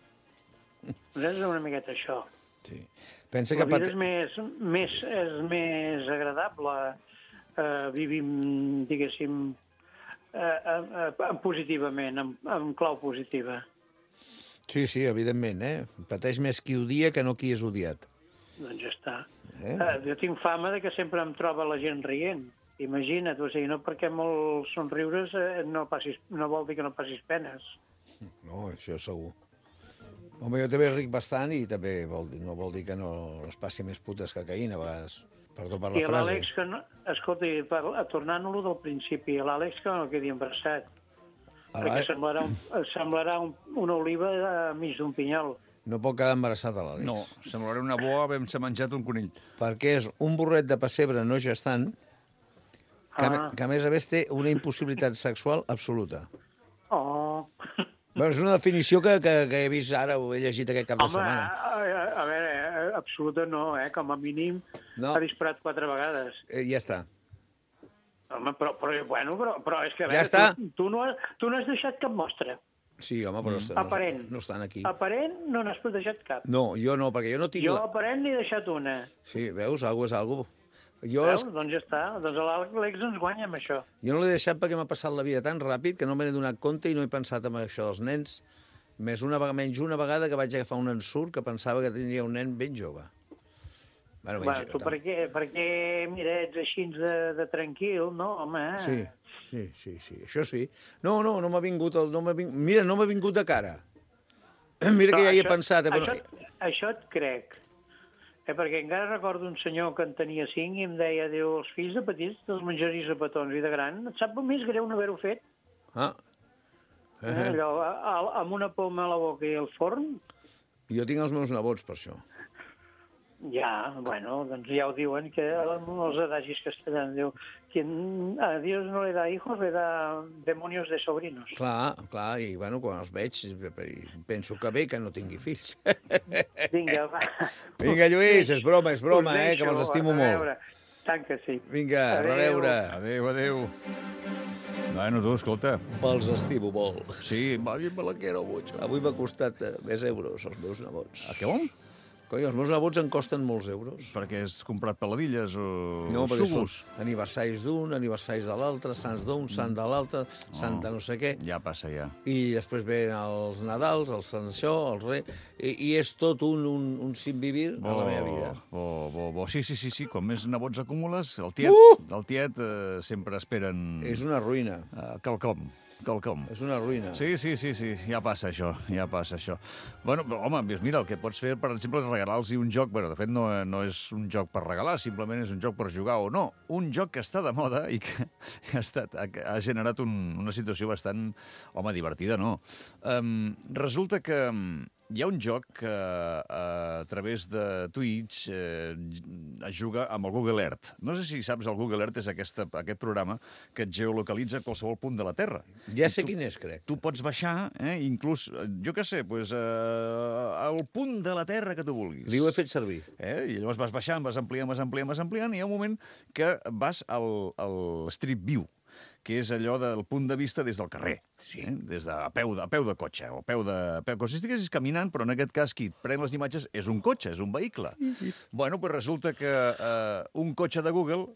És una miqueta això. Sí. Pensa La que... vida és més agradable vivim, diguéssim, positivament, amb clau positiva. Sí, evidentment, Pateix més qui odia que no qui és odiat. Doncs ja està. Jo tinc fama de que sempre em troba la gent rient. Imagina't, o sigui, no perquè molts somriures no vol dir que no passis penes. No, això segur. Home, jo també ric bastant i també no vol dir que no es passi més putes que caïna, a vegades. Perdó per la frase. I l'Àlex, escolta, tornant-lo del principi, l'Àlex que no quedi embarassat. Perquè semblarà una oliva mig d'un pinyol. No pot quedar embarassat a l'Àlex. No, semblarà una boa havent-se menjat un conill. Perquè és un burret de pessebre no gestant que a més a més té una impossibilitat sexual absoluta. Oh... Bé, és una definició que he vist ara, ho he llegit aquest cap de setmana. A veure, absoluta no, com a mínim ha disparat 4 vegades. Ja està. Home, però és que a veure, ja està. Tu no has deixat cap mostra. Sí, home, però no estan aquí. Aparent no n'has deixat cap. No, jo no, perquè jo no tinc... Jo aparent n'he deixat una. Sí, veus? Algo és algo. Veus? Doncs ja està. Doncs l'Àlex ens guanya amb això. Jo no l'he deixat perquè m'ha passat la vida tan ràpid que no me n'he donat compte i no he pensat en això dels nens. Menys una vegada que vaig agafar un ensurt que pensava que tindria un nen ben jove. Bueno, tu perquè, mira, ets així de tranquil, no, home? Sí, això sí. No m'ha vingut... Mira, no m'ha vingut de cara. Mira que ja hi he pensat. Això et crec. Perquè encara recordo un senyor que en tenia 5 i em deia, diu, els fills de petits te'ls menjaries a petons i de gran. Et sap més greu no haver-ho fet? Allò, amb una poma a la boca i el forn? Jo tinc els meus nebots, per això. Ja, bueno, doncs ja ho diuen, que els adagis castellans, diu, a Dios no le da hijos, le da demonios de sobrinos. Clar, i bueno, quan els veig, penso que bé que no tingui fills. Vinga, va. Vinga, Lluís, és broma, que me'ls estimo molt. Tant que sí. Vinga, a reveure. Adéu. Bueno, tu, escolta. Els estimo molt. Sí, me la quiero mucho. Avui m'ha costat més euros, els meus nebots. A què vol? Coi, els meus nebots en costen molts euros. Perquè has comprat peladilles o sugus? No, aniversaris d'un, aniversaris de l'altre, sants d'un, sant de l'altre, santa no sé què. Ja passa, ja. I després ven els Nadals, el Sant Això, el Rei... I és tot un sinvivir a la meva vida. Sí. Com més nebots acumules, el tiet sempre esperen... És una ruïna. Quelcom. És una ruïna. Sí, ja passa això. Bueno, home, mira, el que pots fer, per exemple, és regalar-los un joc, de fet no és un joc per regalar, simplement és un joc per jugar o no. Un joc que està de moda i que ha generat una situació bastant, divertida, no? Resulta que hi ha un joc que a través de Twitch es juga amb el Google Earth. No sé si saps, el Google Earth és aquest programa que et geolocalitza a qualsevol punt de la Terra. Ja sé quin és, crec. Tu pots baixar, inclús, jo què sé, al punt de la Terra que tu vulguis. Li ho he fet servir. I llavors vas baixant, vas ampliant, i hi ha un moment que vas al Street View, que és allò del punt de vista des del carrer, des de a peu de cotxe, o a peu de... Com si estiguessis caminant, però en aquest cas qui et pren les imatges és un cotxe, és un vehicle. Bueno, doncs resulta que un cotxe de Google,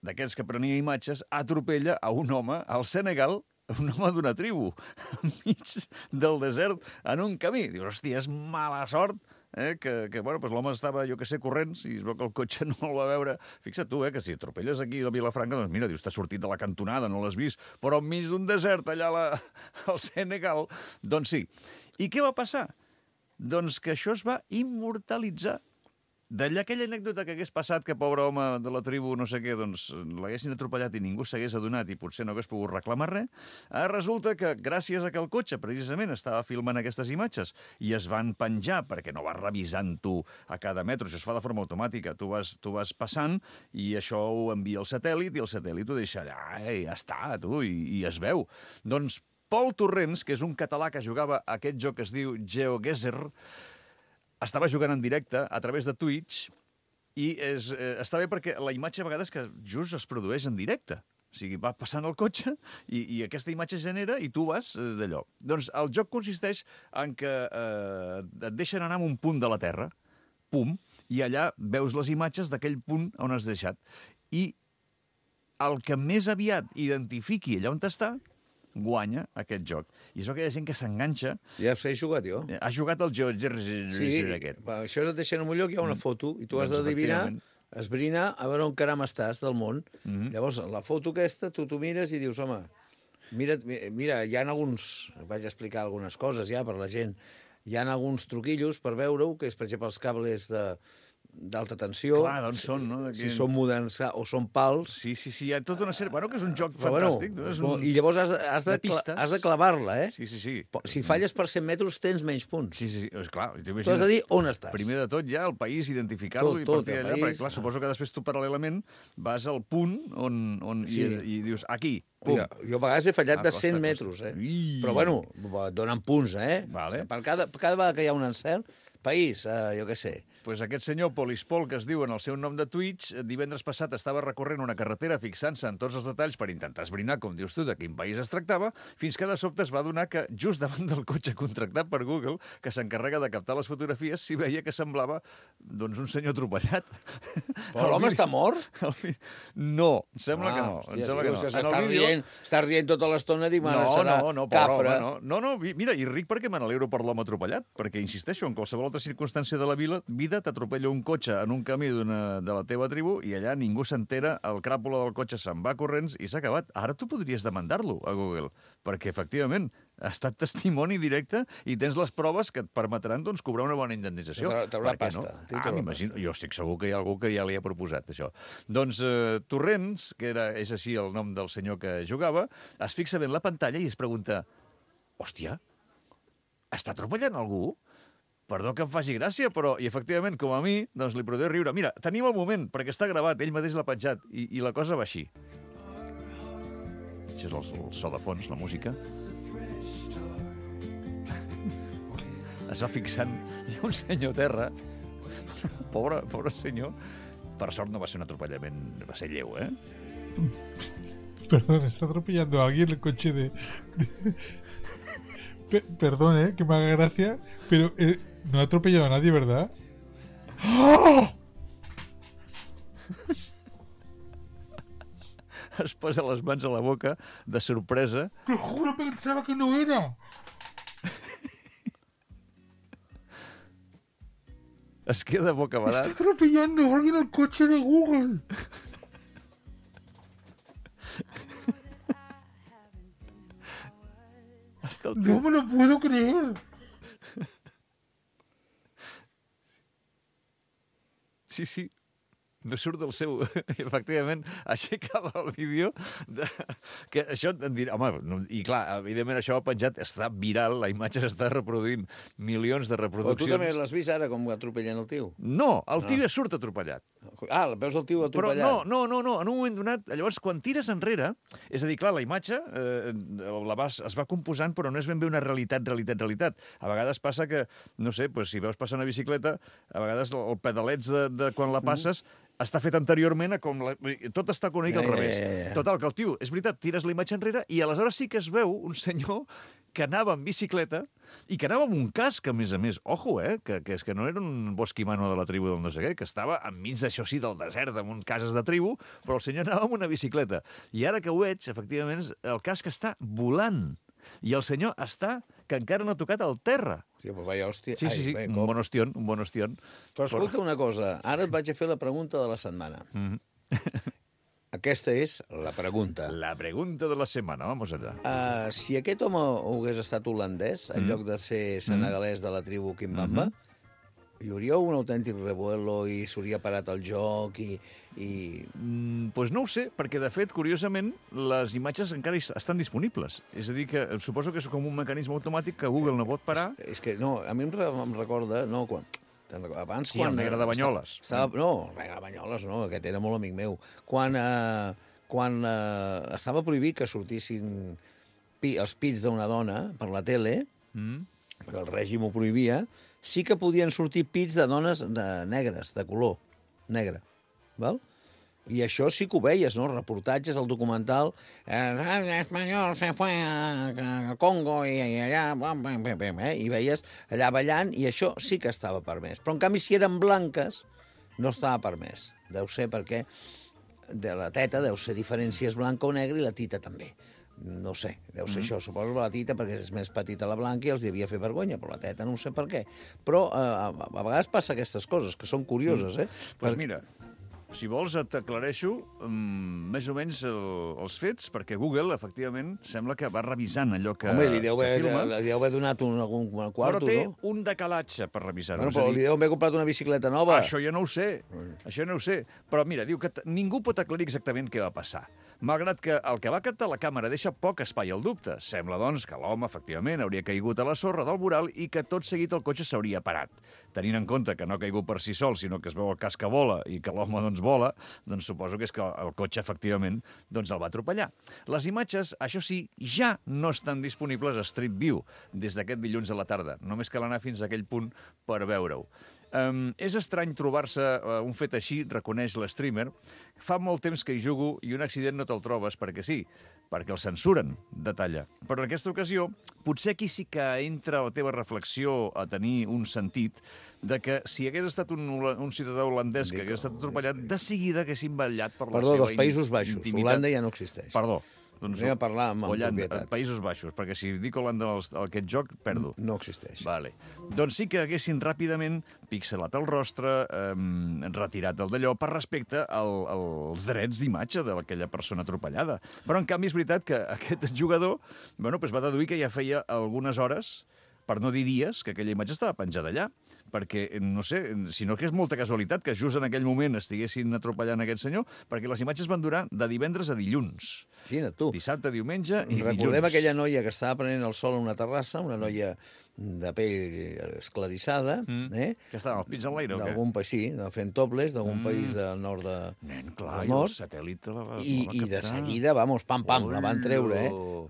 d'aquests que prenia imatges, atropella a un home al Senegal, un home d'una tribu, enmig del desert, en un camí. Dius, hòstia, és mala sort que bueno, doncs l'home estava, jo que sé, corrents, i es veu que el cotxe no el va veure. Fixa't tu, que si atropelles aquí a Vilafranca, doncs mira, dius, t'has sortit de la cantonada, no l'has vist, però enmig d'un desert allà al Senegal, doncs sí. I què va passar? Doncs que això es va immortalitzar. D'allà aquella anècdota que hagués passat que pobre home de la tribu no sé què, doncs l'haguessin atropellat i ningú s'hagués adonat i potser no hagués pogut reclamar res, resulta que gràcies a que el cotxe precisament estava filmant aquestes imatges i es van penjar perquè no vas revisant tu a cada metro, això es fa de forma automàtica, tu vas passant i això ho envia al satèl·lit i el satèl·lit ho deixa allà i ja està, tu, i es veu. Doncs Pol Torrents, que és un català que jugava a aquest joc que es diu GeoGuessr, estava jugant en directe a través de Twitch i està bé perquè la imatge a vegades que just es produeix en directe. O sigui, va passant el cotxe i aquesta imatge es genera i tu vas d'allò. Doncs el joc consisteix en que et deixen anar a un punt de la Terra, pum, i allà veus les imatges d'aquell punt on has deixat. I el que més aviat identifiqui allà on està, guanya aquest joc. I és que hi ha gent que s'enganxa... Ja he jugat, jo. Has jugat al GeoGuessr aquest. Sí, això et deixen en un lloc, hi ha una foto, i tu has d'adivinar, esbrinar, a veure on caram estàs del món. Llavors, la foto aquesta, tu mires i dius, home, mira, hi ha alguns... Vaig explicar algunes coses ja per la gent. Hi ha alguns truquillos per veure-ho, que és, per exemple, els cables d'alta tensió. Clar, d'on són, no? Si són moderns o són pals. Sí, hi ha tota una sèrie... Bueno, que és un joc fantàstic. I llavors has de clavar-la, eh? Sí. Si falles per 100 metres, tens menys punts. Sí, és clar. Tu has de dir on estàs. Primer de tot, ja, el país, identificar-lo i partir d'allà, perquè, clar, suposo que després tu, paral·lelament, vas al punt i dius, aquí, pum. Jo a vegades he fallat de 100 metres, eh? Però, bueno, donen punts, eh? Per cada vegada que hi ha un encert, país, jo què sé. Pues aquest senyor Polispol, que es diu en el seu nom de Twitch, divendres passat estava recorrent una carretera fixant-se en tots els detalls per intentar esbrinar, com dius tu, de quin país es tractava, fins que de sobte es va adonar que just davant del cotxe contractat per Google, que s'encarrega de captar les fotografies, s'hi veia que semblava, doncs, un senyor atropellat. Però l'home està mort? No, sembla que no. Està rient tota l'estona, dic, serà cafra. No, mira, i ric perquè me n'alegro per l'home atropellat, perquè, insisteixo, en qualsevol altra circumstància de la vida t'atropella un cotxe en un camí de la teva tribu i allà ningú s'entera, el cràpula del cotxe se'n va corrents i s'ha acabat. Ara tu podries demandar-lo a Google, perquè efectivament ha estat testimoni directe i tens les proves que et permetran doncs, cobrar una bona indemnització. Traurà pasta. M'imagino. Jo estic segur que hi ha algú que ja li ha proposat això. Doncs Torrents, que és així el nom del senyor que jugava, es fixa bé en la pantalla i es pregunta, hòstia, està atropellant algú? Perdó que em faci gràcia, però, i efectivament, com a mi, doncs li podré riure. Mira, tenim el moment, perquè està gravat, ell mateix l'ha penjat, i la cosa va així. Això és el so de fons, la música. Es va fixant, hi ha un senyor a terra, pobre senyor, per sort no va ser un atropellament, va ser lleu, eh? Perdón, está atropellando a alguien el coche de... Perdón, que me haga gracia, pero no ha atropellado a nadie, ¿verdad? ¡Oh! Es posa les mans a la boca de sorpresa. Te juro, pensaba que no era. Es queda bocabadat. Está atropellando a alguien el coche de Google. No me lo puedo creer. Sí. No surt del seu... Efectivament, aixecava el vídeo que això em dirà... Home, i clar, evidentment això ha penjat, està viral, la imatge s'està reproduint, milions de reproduccions. Però tu també l'has vist ara, com atropellant el tio? No, el tio ja surt atropellat. Veus el tio atropellat? Però no, en un moment donat, llavors, quan tires enrere, és a dir, clar, la imatge es va composant, però no és ben bé una realitat. A vegades passa que, no sé, si veus passar una bicicleta, a vegades el pedalets de quan la passes està fet anteriorment a com... Tot està connectat al revés. Total, que el tio, és veritat, tires la imatge enrere i aleshores sí que es veu un senyor que anava en bicicleta i que anava amb un casc, a més. Ojo, que és que no era un bosquimano de la tribu del no sé què, que estava enmig d'això sí, del desert, amb un cases de tribu, però el senyor anava amb una bicicleta. I ara que ho veig, efectivament, el casc està volant. I el senyor està que encara no ha tocat el terra. Sí, però vaya hòstia. Sí, sí, sí, un bon ostion, un bon ostion. Però escolta una cosa, ara et vaig a fer la pregunta de la setmana. Aquesta és la pregunta. La pregunta de la setmana, vamos allà. Si aquest home hagués estat holandès, en lloc de ser senegalès de la tribu Kimbamba, hi hauria un autèntic revuelo i s'hauria parat el joc i... Pues no ho sé, perquè de fet, curiosament, les imatges encara estan disponibles. És a dir, que suposo que és com un mecanisme automàtic que Google no pot parar. És que no, a mi em recorda... No, abans, sí, el negre de Banyoles. No, el negre de Banyoles no, aquest era molt amic meu. Quan estava prohibit que sortissin els pits d'una dona per la tele, perquè el règim ho prohibia, sí que podien sortir pits de dones negres, de color negre. Val? I això sí que ho veies, no? Reportatges, el documental, espanyol se fue a Congo i allà, i veies allà ballant, i això sí que estava permès. Però, en canvi, si eren blanques, no estava permès. Deu ser perquè de la teta deu ser diferent si és blanca o negra i la tita també. No sé, deu ser això. Suposo la tita perquè és més petita la blanca i els devia fer vergonya, però la teta no sé per què. Però a vegades passa aquestes coses, que són curioses, Doncs mira, si vols et aclareixo més o menys els fets, perquè Google, efectivament, sembla que va revisant allò que home, li deu haver donat algun quarto, no? Però té un decalatge per revisar-ho. Bueno, però li deu haver comprat una bicicleta nova. Això ja no ho sé, això no ho sé. Però mira, diu que ningú pot aclarir exactament què va passar. Malgrat que el que va captar la càmera deixa poc espai al dubte. Sembla, doncs, que l'home, efectivament, hauria caigut a la sorra del voral i que tot seguit el cotxe s'hauria parat. Tenint en compte que no ha caigut per si sol, sinó que es veu el cas que vola i que l'home, doncs, vola, doncs suposo que és que el cotxe, efectivament, doncs el va atropellar. Les imatges, això sí, ja no estan disponibles a Street View des d'aquest dilluns a la tarda. Només cal anar fins a aquell punt per veure-ho. És estrany trobar-se un fet així, reconeix l'streamer. Fa molt temps que hi jugo i un accident no te'l trobes perquè sí, perquè el censuren, detalla. Però en aquesta ocasió, potser aquí sí que entra la teva reflexió a tenir un sentit de que si hagués estat un ciutadà holandès que hagués estat atropellat, de seguida haguessin vetllat per la seva dels Països Baixos. intimitat. Holanda ja no existeix. Perdó. Doncs anem a parlar amb propietat. Països Baixos, perquè si dic Holanda aquest joc, perdo. No existeix. Vale. Doncs sí que haguessin ràpidament pixelat el rostre, retirat el d'allò, per respecte als drets d'imatge d'aquella persona atropellada. Però, en canvi, és veritat que aquest jugador va deduir que ja feia algunes hores, per no dir dies, que aquella imatge estava penjada allà. Perquè, no sé, sinó que és molta casualitat que just en aquell moment estiguessin atropellant aquest senyor, perquè les imatges van durar de divendres a dilluns. Sí, tu. Dissabte, diumenge i dilluns. Recordem aquella noia que estava prenent el sol en una terrassa, una noia de pell esclarissada, que estava amb els pits en l'aire, o què? D'algun país, sí, fent topless, d'algun país del nord Nen, clar, del nord. I el satèl·lit la va I de seguida, pam, la van treure,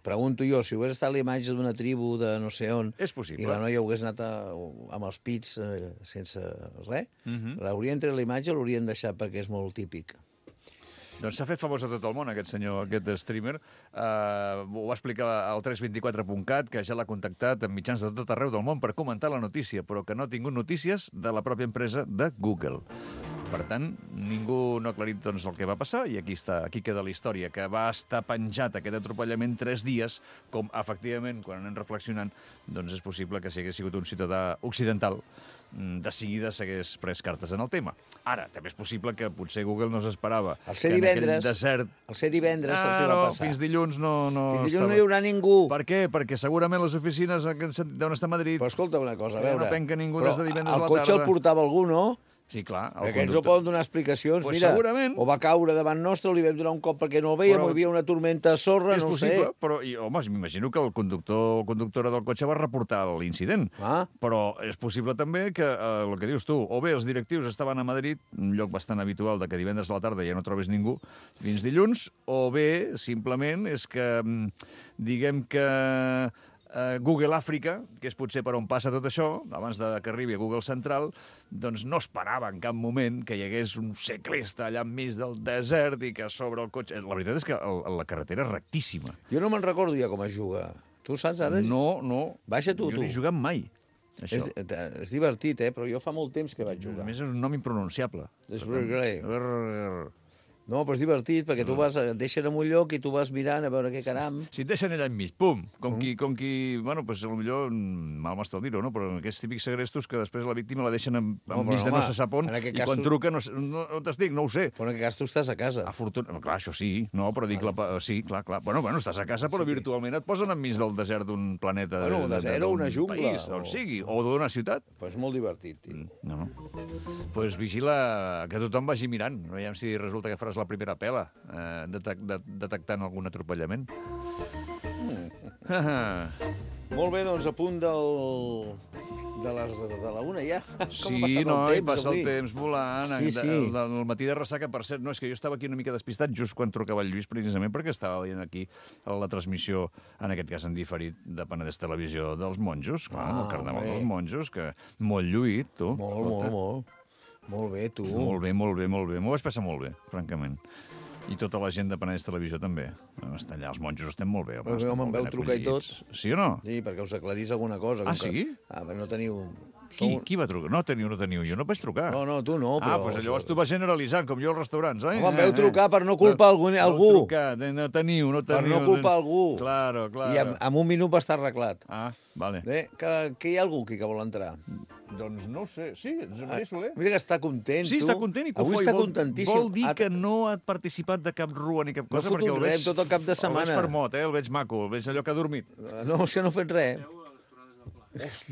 Pregunto jo, si hagués estat la imatge d'una tribu de no sé on, és possible. I la noia hagués anat amb els pits sense res, l'haurien tret la imatge o l'haurien deixat perquè és molt típic? Doncs s'ha fet famós a tot el món, aquest senyor, aquest streamer. Ho va explicar al 324.cat, que ja l'ha contactat en mitjans de tot arreu del món per comentar la notícia, però que no ha tingut notícies de la pròpia empresa de Google. Per tant, ningú no ha aclarit doncs, el que va passar i aquí queda la història, que va estar penjat aquest atropellament 3 dies, com efectivament, quan anem reflexionant, doncs és possible que si hagués sigut un ciutadà occidental, de seguida s'hagués pres cartes en el tema. Ara, també és possible que potser Google no s'esperava que en aquell desert... El ser divendres se'ls va passar. Fins dilluns no... Fins dilluns no hi haurà ningú. Per què? Perquè segurament les oficines deuen estar a Madrid. Però escolta una cosa, a veure... No penca ningú des de divendres a la tarda. El cotxe el portava algú, no? Sí, clar. Aquests no poden donar explicacions. Pues mira, segurament. O va caure davant nostre, o li vam donar un cop perquè no el veiem, o hi havia una tormenta de sorra, no sé. És possible, però, home, m'imagino que el conductor o conductora del cotxe va reportar l'incident. Però és possible també que, el que dius tu, o bé els directius estaven a Madrid, un lloc bastant habitual de que divendres a la tarda ja no trobes ningú fins dilluns, o bé, simplement, és que, diguem que Google Àfrica, que és potser per on passa tot això, abans que arribi a Google Central, doncs no esperava en cap moment que hi hagués un ciclista allà enmig del desert i que sobre el cotxe... La veritat és que la carretera és rectíssima. Jo no me'n recordo ja com es juga. Tu saps ara? No. Baixa tu. Jo no he jugat mai. Això. És divertit, però jo fa molt temps que vaig jugar. A més, és un nom impronunciable. És Grey. No, però és divertit, perquè tu vas, et deixen en un lloc i tu vas mirant a veure què caram. Si et deixen allà enmig, pum, com qui bueno, pues, potser mal m'està dir-ho, no? Però aquests típics segrestos que després la víctima la deixen enmig de no se sap on, i quan truca no t'estic, no ho sé. Però en aquest cas tu estàs a casa. Clar, això sí, no, però dic, sí, clar. Bueno, estàs a casa, però virtualment et posen enmig del desert d'un planeta. Bueno, un desert o una jungla. País, on sigui, o d'una ciutat. Però és molt divertit, tio. No. Pues vigila que tothom vagi mirant. Veiem si resulta que faràs la primera pela, detectant algun atropellament. Molt bé, doncs a punt de la una ja. Sí, noi, passa el temps volant. El matí de ressaca, per cert, no, és que jo estava aquí una mica despistat just quan trucava el Lluís, precisament perquè estava veient aquí la transmissió, en aquest cas en diferit, de Penedès Televisió dels monjos, el carnaval dels monjos, que molt lluït, tu. Molt. Molt bé, tu. Molt bé. M'ho vaig passar molt bé, francament. I tota la gent de Penedès Televisió també. Estan allà, els monjos estem molt bé. Home, em veu trucar i tot. Sí o no? Sí, perquè us aclarís alguna cosa. Sí? Perquè no teniu... Qui va trucar? No teniu, jo no vaig trucar. No, tu no, però... Doncs llavors tu vas generalitzant, com jo als restaurants, oi? Home, em veu trucar per no culpar algú. No teniu. Per no culpar algú. Claro. I en un minut va estar arreglat. Vale. Que hi ha algú aquí que vol entrar? Doncs no ho sé. Sí, Josep Maria Soler. Mira que està content, tu. Sí, està content i avui està contentíssim. Vol dir que no ha participat de cap rua ni cap cosa, perquè el veig... tot el cap de setmana. El veig fermot, el veig maco, el veig allò que ha dormit. No, és que no ha fet res.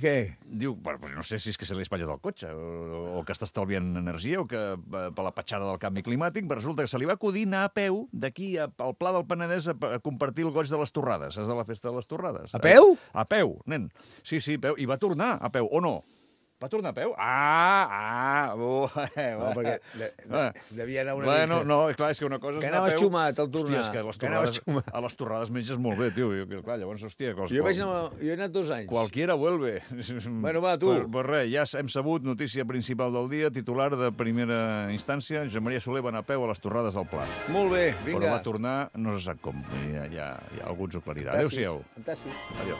Què? Diu, no sé si és que se li espatlla del cotxe, o que està estalviant energia, o que per la petjada del canvi climàtic, però resulta que se li va acudir anar a peu d'aquí al Pla del Penedès a compartir el goig de les torrades. Saps de la festa de les torrades? A peu? A peu, nen. Sí, peu. I va tornar a peu, o no? Va tornar a peu? No, perquè devia anar una mica... No, clar, és que una cosa és anar a peu... Que anaves xumat al tornar. Hòstia, és que a les torrades menges molt bé, tio. Clar, llavors, hòstia... Jo he anat 2 anys. Cualquiera vuelve. Bueno, va, tu. Pues res, ja hem sabut, notícia principal del dia, titular de primera instància, Josep Maria Soler va anar a peu a les torrades del Pla. Molt bé, vinga. Però va tornar, no se sap com. Ja algú ens ho aclarirà. Adéu-siau. Fantàstic. Adéu.